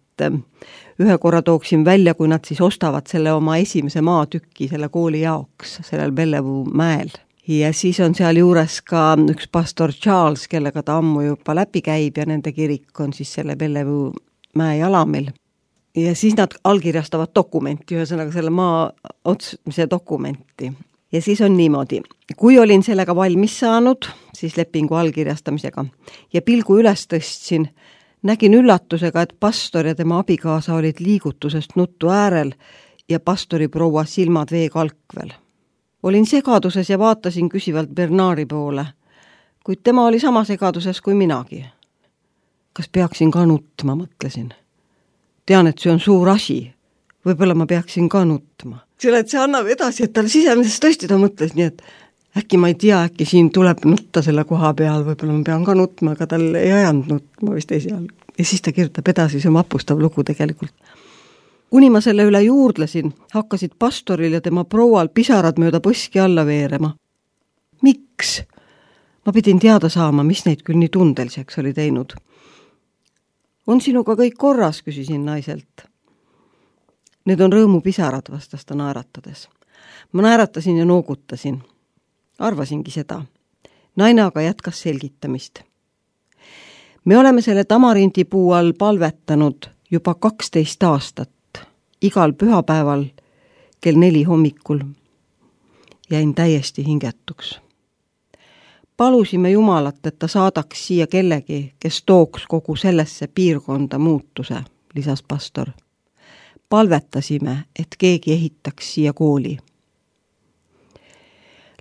ühe korra tooksin välja, kui nad siis ostavad selle oma esimese maatükki selle kooli jaoks, sellel Bellevue mäel. Ja siis on seal juures ka üks pastor Charles, kellega ta ammu juba läbi käib ja nende kirik on siis selle Bellevue mäe jalamil. Ja siis nad allkirjastavad dokumenti, ühesõnaga selle maa otsmise dokumenti. Ja siis on niimoodi, kui olin sellega valmis saanud, siis lepingu allkirjastamisega, ja pilgu üles tõstsin, nägin üllatusega, et pastor ja tema abikaasa olid liigutusest nuttu äärel ja pastori proua silmad veekalkvel. Olin segaduses ja vaatasin küsivalt Bernari poole, kuid tema oli sama segaduses kui minagi. Kas peaksin ka nutma, mõtlesin. Tean, et see on suur asi. Võib-olla ma peaksin ka nutma. Selle, et see annab edasi, et tal sisemises tõesti ta mõtles nii, et äkki ma ei tea, äkki siin tuleb nutta selle koha peal, võib-olla ma pean ka nutma, aga tal ei ajanud nutma vist esialgu. Ja siis ta kirjutab edasi, see on vapustav lugu tegelikult. Kuni ma selle üle juurdlesin, hakkasid pastoril ja tema proual pisarad mööda põski alla veerema. Miks? Ma pidin teada saama, mis neid küll nii tundeliseks oli teinud. On sinuga kõik korras, küsisin naiselt. Need on rõõmupisarad, vastas ta naeratades. Ma naeratasin ja noogutasin. Arvasingi seda. Naine aga jätkas selgitamist. Me oleme selle tamarindipuu all palvetanud juba kaksteist aastat. Igal pühapäeval kell neli hommikul. Jäin täiesti hingetuks. Palusime Jumalat, et ta saadaks siia kellegi, kes tooks kogu sellesse piirkonda muutuse, lisas pastor. Palvetasime, et keegi ehitaks siia kooli.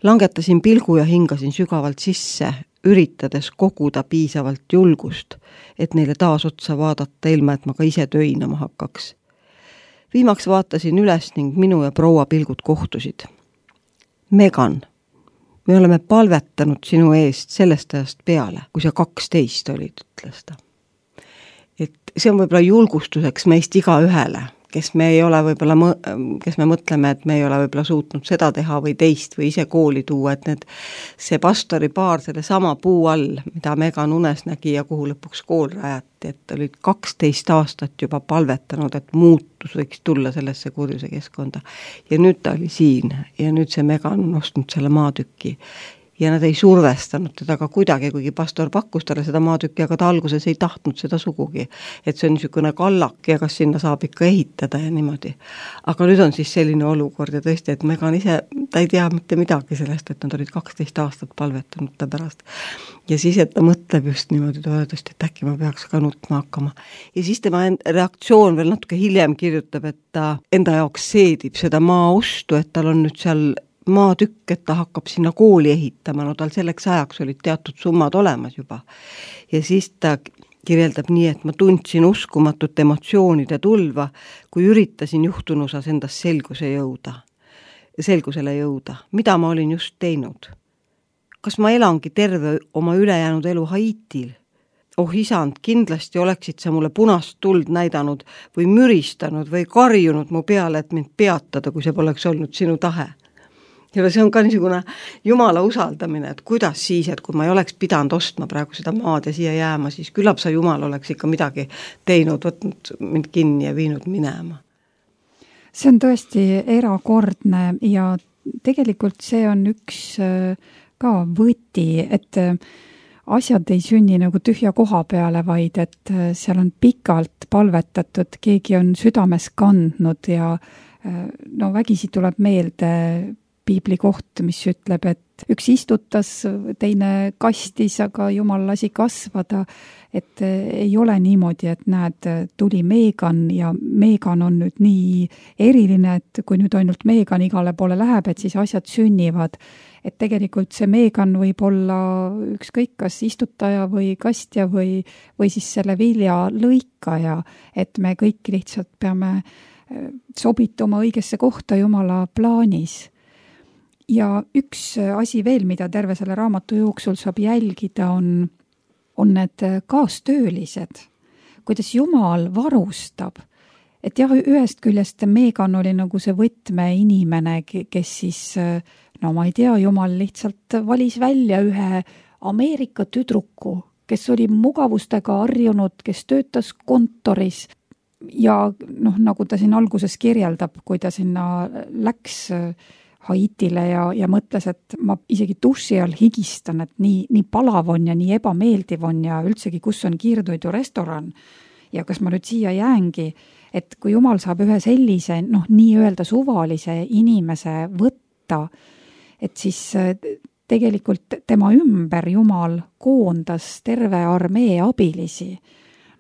Langetasin pilgu ja hingasin sügavalt sisse, üritades koguda piisavalt julgust, et neile taas otsa vaadata ilma, et ma ka ise töinama hakkaks. Viimaks vaatasin üles ning minu ja proua pilgud kohtusid. Megan, me oleme palvetanud sinu eest sellest ajast peale, kui sa kaksteist olid, ütles ta. Et see on võib-olla julgustuseks meist iga ühele, kes me ei ole võib-olla, kes me mõtleme, et me ei ole võib-olla suutnud seda teha või teist või ise kooli tuua, et need, see pastori paar selle sama puu all, mida Megan unes nägi ja kuhu lõpuks kool rajati, et olid kaksteist aastat juba palvetanud, et muutus võiks tulla sellesse kurjuse keskkonda. Ja nüüd ta oli siin ja nüüd see Megan on ostnud selle maatüki. Ja nad ei survestanud teda ka kuidagi, kuigi pastor pakkus talle seda maatükki, aga ta alguses ei tahtnud seda sugugi. Et see on niisugune kallak ja kas sinna saab ikka ehitada ja niimoodi. Aga nüüd on siis selline olukord ja tõesti, et Megan ise, ta ei tea mitte midagi sellest, et nad olid kaksteist aastat palvetanud ta pärast. Ja siis, et ta mõtleb just niimoodi toetust, et äkki ma peaks ka nutma hakkama. Ja siis tema reaktsioon veel natuke hiljem kirjutab, et ta enda jaoks seedib seda maaostu, et tal on nüüd seal maatükk, et ta hakkab sinna kooli ehitama, no tal selleks ajaks olid teatud summad olemas juba. Ja siis ta kirjeldab nii, et ma tundsin uskumatut emotsioonide tulva, kui üritasin juhtunusas endast selguse jõuda, selgusele jõuda, mida ma olin just teinud. Kas ma elangi terve oma ülejäänud elu Haitil? Oh isand, kindlasti oleksid sa mulle punast tuld näidanud või müristanud või karjunud mu peale, et mind peatada, kui see poleks olnud sinu tahe. Ja see on ka niisugune Jumala usaldamine, et kuidas siis, et kui ma ei oleks pidanud ostma praegu seda maad ja siia jääma, siis küllap sa Jumal oleks ikka midagi teinud, võtnud mind kinni ja viinud minema. See on tõesti erakordne ja tegelikult see on üks ka võti, et asjad ei sünni nagu tühja koha peale, vaid et seal on pikalt palvetatud, keegi on südames kandnud ja no vägisi tuleb meelde piibli koht, mis ütleb, et üks istutas, teine kastis, aga Jumal lasi kasvada, et ei ole niimoodi, et näed, tuli Megan ja Megan on nüüd nii eriline, et kui nüüd ainult Megan igale poole läheb, et siis asjad sünnivad. Et tegelikult see Megan võib olla ükskõik kas istutaja või kastja või, või siis selle vilja lõikaja, et me kõik lihtsalt peame sobituma õigesse kohta Jumala plaanis. Ja üks asi veel, mida terve selle raamatu jooksul saab jälgida, on, on need kaastöölised, kuidas Jumal varustab. Et jah, ühest küljest Megan oli nagu see võtme inimene, kes siis, no ma ei tea, Jumal lihtsalt valis välja ühe Ameerika tüdruku, kes oli mugavustega harjunud, kes töötas kontoris ja noh, nagu ta siin alguses kirjeldab, kui ta sinna läks Haitile ja, ja mõtles, et ma isegi duši all higistan, et nii, nii palav on ja nii ebameeldiv on ja üldsegi, kus on kiirtoidu restoran ja kas ma nüüd siia jäängi, et kui Jumal saab ühe sellise, noh, nii öelda suvalise inimese võtta et siis tegelikult tema ümber Jumal koondas terve armee abilisi.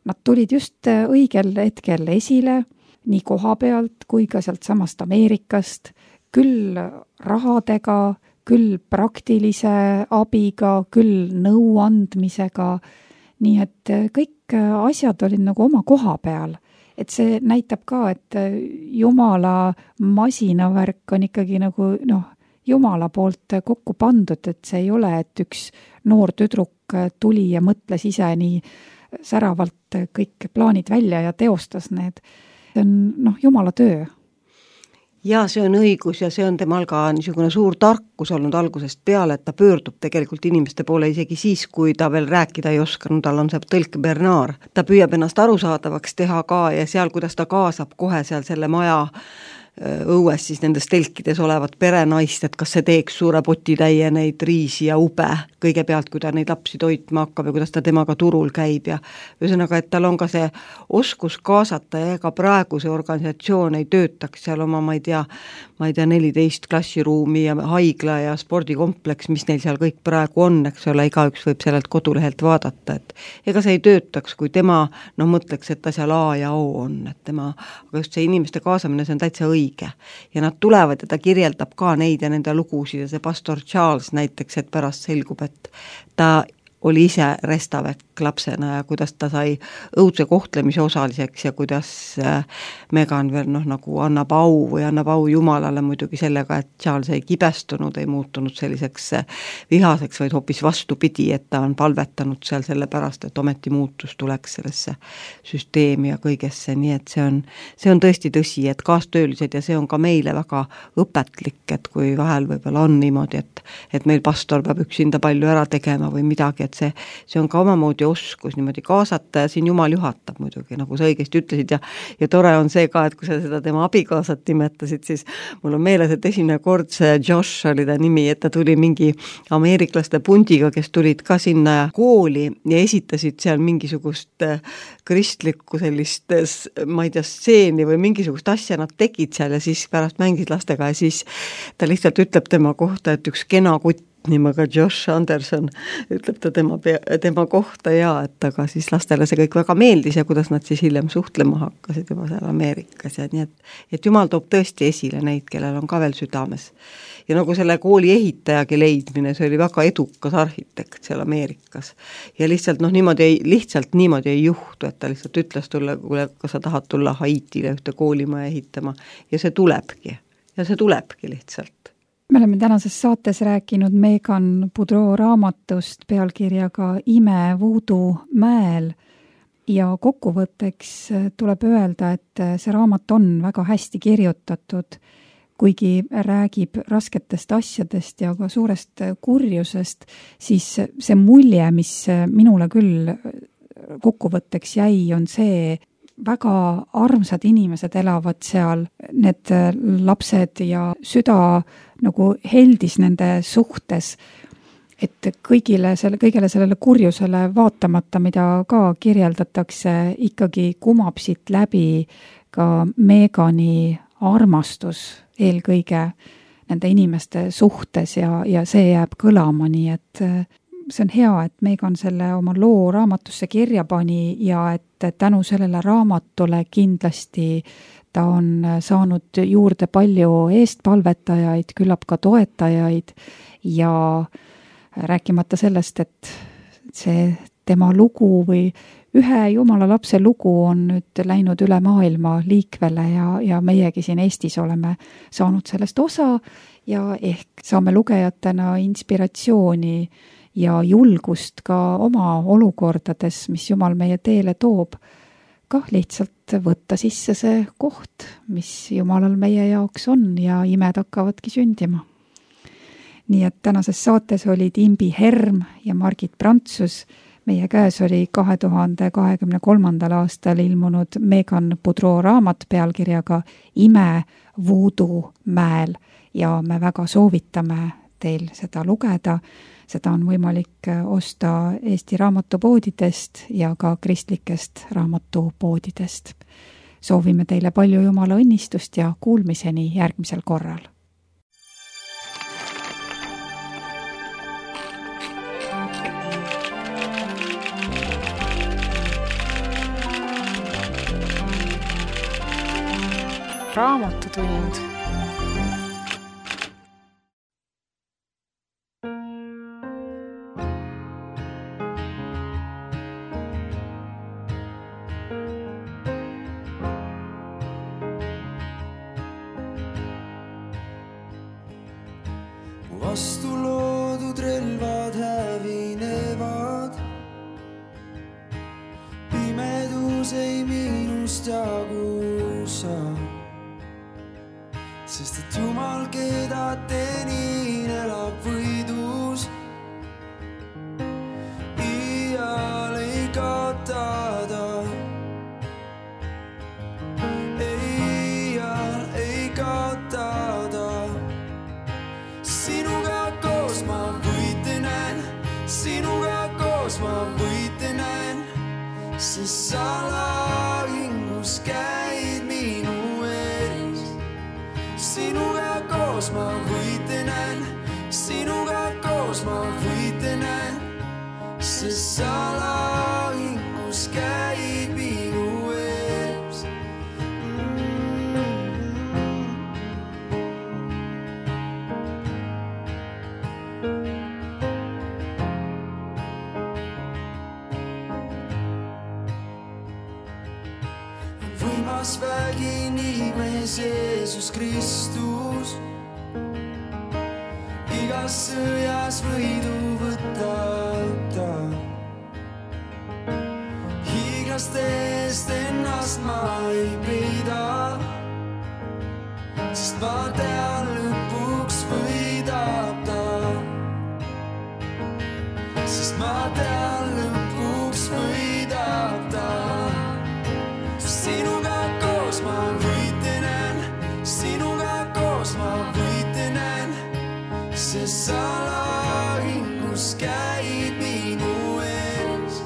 Nad tulid just õigel hetkel esile, nii koha pealt kui ka sealt samast Ameerikast, küll rahadega, küll praktilise abiga, küll nõu andmisega, nii et kõik asjad olid nagu oma koha peal. Et see näitab ka, et Jumala masinavärk on ikkagi nagu, noh, Jumala poolt kokku pandud, et see ei ole, et üks noor tüdruk tuli ja mõtles ise nii säravalt kõik plaanid välja ja teostas need. See on, noh, Jumala töö. Ja see on õigus ja see on temal ka niisugune suur tarkus olnud algusest peale, et ta pöördub tegelikult inimeste poole isegi siis, kui ta veel rääkida ei oskanud, tal on see tõlk Bernard. Ta püüab ennast arusaadavaks teha ka ja seal, kuidas ta kaasab kohe seal selle maja õues siis nendes telkides olevat perenaist, et kas see teeks suure potitäie neid riisi ja ube kõigepealt, kui ta neid lapsi toitma hakkab ja kuidas ta temaga turul käib ja ühesõnaga, et tal on ka see oskus kaasata ja ega praegu see organisatsioon ei töötaks seal oma, ma ei tea, ma ei tea, neliteist klassiruumi ja haigla ja spordikompleks, mis neil seal kõik praegu on, eks ole, igaüks võib sellelt kodulehelt vaadata, et ega see ei töötaks, kui tema, noh, mõtleks, et ta seal A ja O on, et tema, aga just see inimeste kaasamine, see on täitsa õige. Ja nad tulevad ja ta kirjeldab ka neid ja nende lugusid ja see pastor Charles näiteks, et pärast selgub, et ta oli ise restavek lapsena ja kuidas ta sai õudse kohtlemise osaliseks ja kuidas Megan veel noh, nagu annab au või annab au Jumalale muidugi sellega, et Charles ei kibestunud, ei muutunud selliseks vihaseks, vaid hoopis vastupidi, et ta on palvetanud seal selle pärast, et ometi muutus tuleks sellesse süsteemi ja kõigesse, nii et see on, see on tõesti tõsi, et kaastöölised ja see on ka meile väga õpetlik, et kui vahel võib-olla on niimoodi, et, et meil pastor peab üksinda palju ära tegema või midagi, et see, see on ka omamoodi oskus niimoodi kaasata ja siin Jumal juhatab muidugi, nagu sa õigesti ütlesid ja, ja tore on see ka, et kui sa seda tema abikaasat nimetasid, siis mul on meeles, et esimene kord see Josh oli ta nimi, et ta tuli mingi ameeriklaste pundiga, kes tulid ka sinna kooli ja esitasid seal mingisugust kristlikku sellist, ma ei tea, stseeni või mingisugust asja nad tegid seal ja siis pärast mängid lastega ja siis ta lihtsalt ütleb tema kohta, et üks kena kutt nimega Josh Anderson, ütleb ta tema, tema kohta ja, et aga siis lastele see kõik väga meeldis ja kuidas nad siis hiljem suhtlema hakkasid juba seal Ameerikas ja nii, et, et Jumal toob tõesti esile neid, kellel on ka veel südames. Ja nagu selle kooli ehitajagi leidmine, see oli väga edukas arhitekt seal Ameerikas. Ja lihtsalt, noh, niimoodi ei, lihtsalt niimoodi ei juhtu, et ta lihtsalt ütles tulla, kuule, kas sa tahad tulla Haitile ühte koolimaja ehitama ja see tulebki. Ja see tulebki lihtsalt. Me oleme tänases saates rääkinud Megan Boudreau raamatust pealkirjaga Ime Voodoo mäel ja kokkuvõtteks tuleb öelda, et see raamat on väga hästi kirjutatud, kuigi räägib rasketest asjadest ja ka suurest kurjusest, siis see mulje, mis minule küll kokkuvõtteks jäi, on see, väga armsad inimesed elavad seal, need lapsed ja süda nagu heldis nende suhtes, et kõigile selle, kõigele sellele kurjusele vaatamata, mida ka kirjeldatakse, ikkagi kumab siit läbi ka Megani armastus eelkõige nende inimeste suhtes ja, ja see jääb kõlama, nii et see on hea, et Megan selle oma loo raamatusse kirja pani ja et tänu sellele raamatule kindlasti ta on saanud juurde palju eestpalvetajaid, küllap ka toetajaid ja rääkimata sellest, et see tema lugu või ühe Jumala lapse lugu on nüüd läinud üle maailma liikvele ja, ja meiegi siin Eestis oleme saanud sellest osa ja ehk saame lugejatena inspiratsiooni ja julgust ka oma olukordades, mis Jumal meie teele toob, kah lihtsalt võtta sisse see koht, mis Jumalal meie jaoks on ja imed hakkavadki sündima. Nii et tänases saates olid Imbi Herm ja Margit Prantsus. Meie käes oli kahe tuhande kahekümne kolmandal aastal ilmunud Megan Boudreau raamat pealkirjaga Ime Voodoo mäel ja me väga soovitame teil seda lugeda. Seda on võimalik osta Eesti raamatupoodidest ja ka kristlikest raamatupoodidest. Soovime teile palju Jumala õnnistust ja kuulmiseni järgmisel korral. Raamatutund. Vastu loodud relvad hävinevad, pimedus ei minust jagusa, sest et Jumal, keda tenin, elab võidus. Iial ei kaotada, iial ei kaotada. Sinuga koos ma võite näen, sinuga koos ma võite näen, sest sa lahingus käid minu ees. Sinuga koos ma võite näen, sinuga koos ma võite näen, sest sa lahingus käid minu ees. Võimas vägi nimes Jeesus Kristus, igas sõjas võidu võtab ta. Hiiglaste eest ennast ma ei peida, sest ma tean, lõpuks võidab ta. Sest ma tean, lõpuks võidab ta. Sinuga koos ma võite näen, sinuga koos ma võite näen, sest sa lahingus käid minu ees.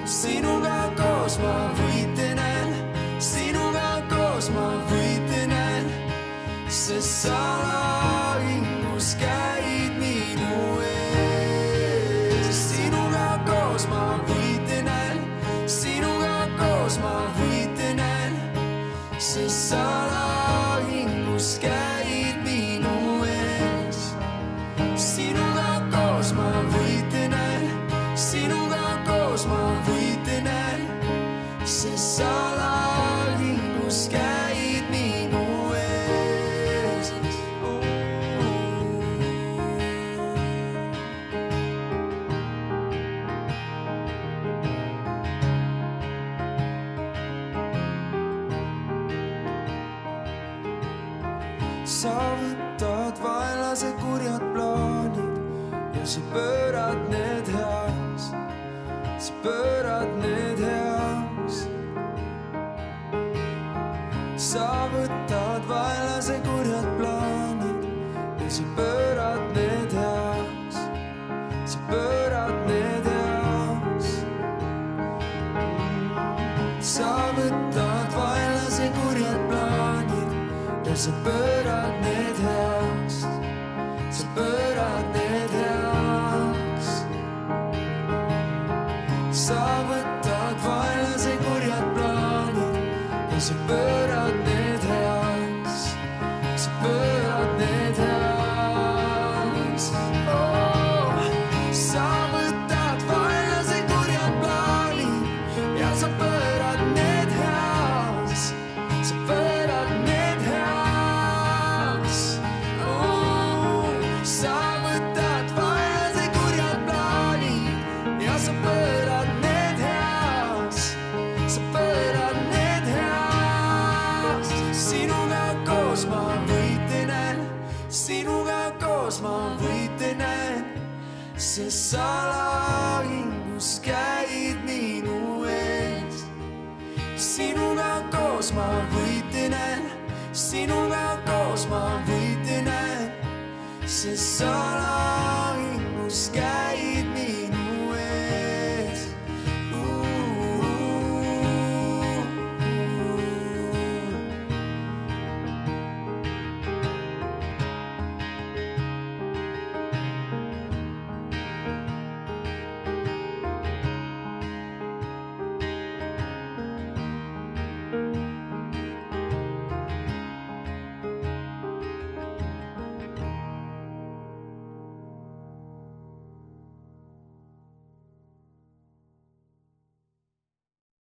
Sinuga koos ma võite näen, sinuga koos ma võite näen, sest sa lahingus käid minu ees. Sinuga koos ma võite näen, sinuga koos ma võite näen, sest sa lahingus käid minu ees. Sinuga koos ma võite näen, sinuga koos ma võite näen, sest sa lahingus käid minu ees. Sa võtad vaenlase kurjad plaanid ja sa pöörad need heaks, sa pöörad need heaks. Sa võtad vaenlase kurjad plaanid ja sa pöörad need heaks, sa pöörad need heaks. Sa võtad vaenlase kurjad plaanid ja sa pöörad need heaks, sa pöörad need heaks. Sa võtad vaenlase kurjad plaanid ja sa pöörad need heaks, sa pöörad need heaks. Oh, sa võtad vaenlase kurjad plaanid ja sa pöörad need heaks, sa pöörad need heaks. Oh, sa võtad vaenlase kurjad plaanid ja sa pöörad need heaks, sa pöörad need heaks. Sinuga koos ma võite näen, sinuga koos ma võite näen, sest sa lahingus käid minu ees. Sinuga koos ma võite näen, sinuga koos ma võite näen, sest sa lahingus käid.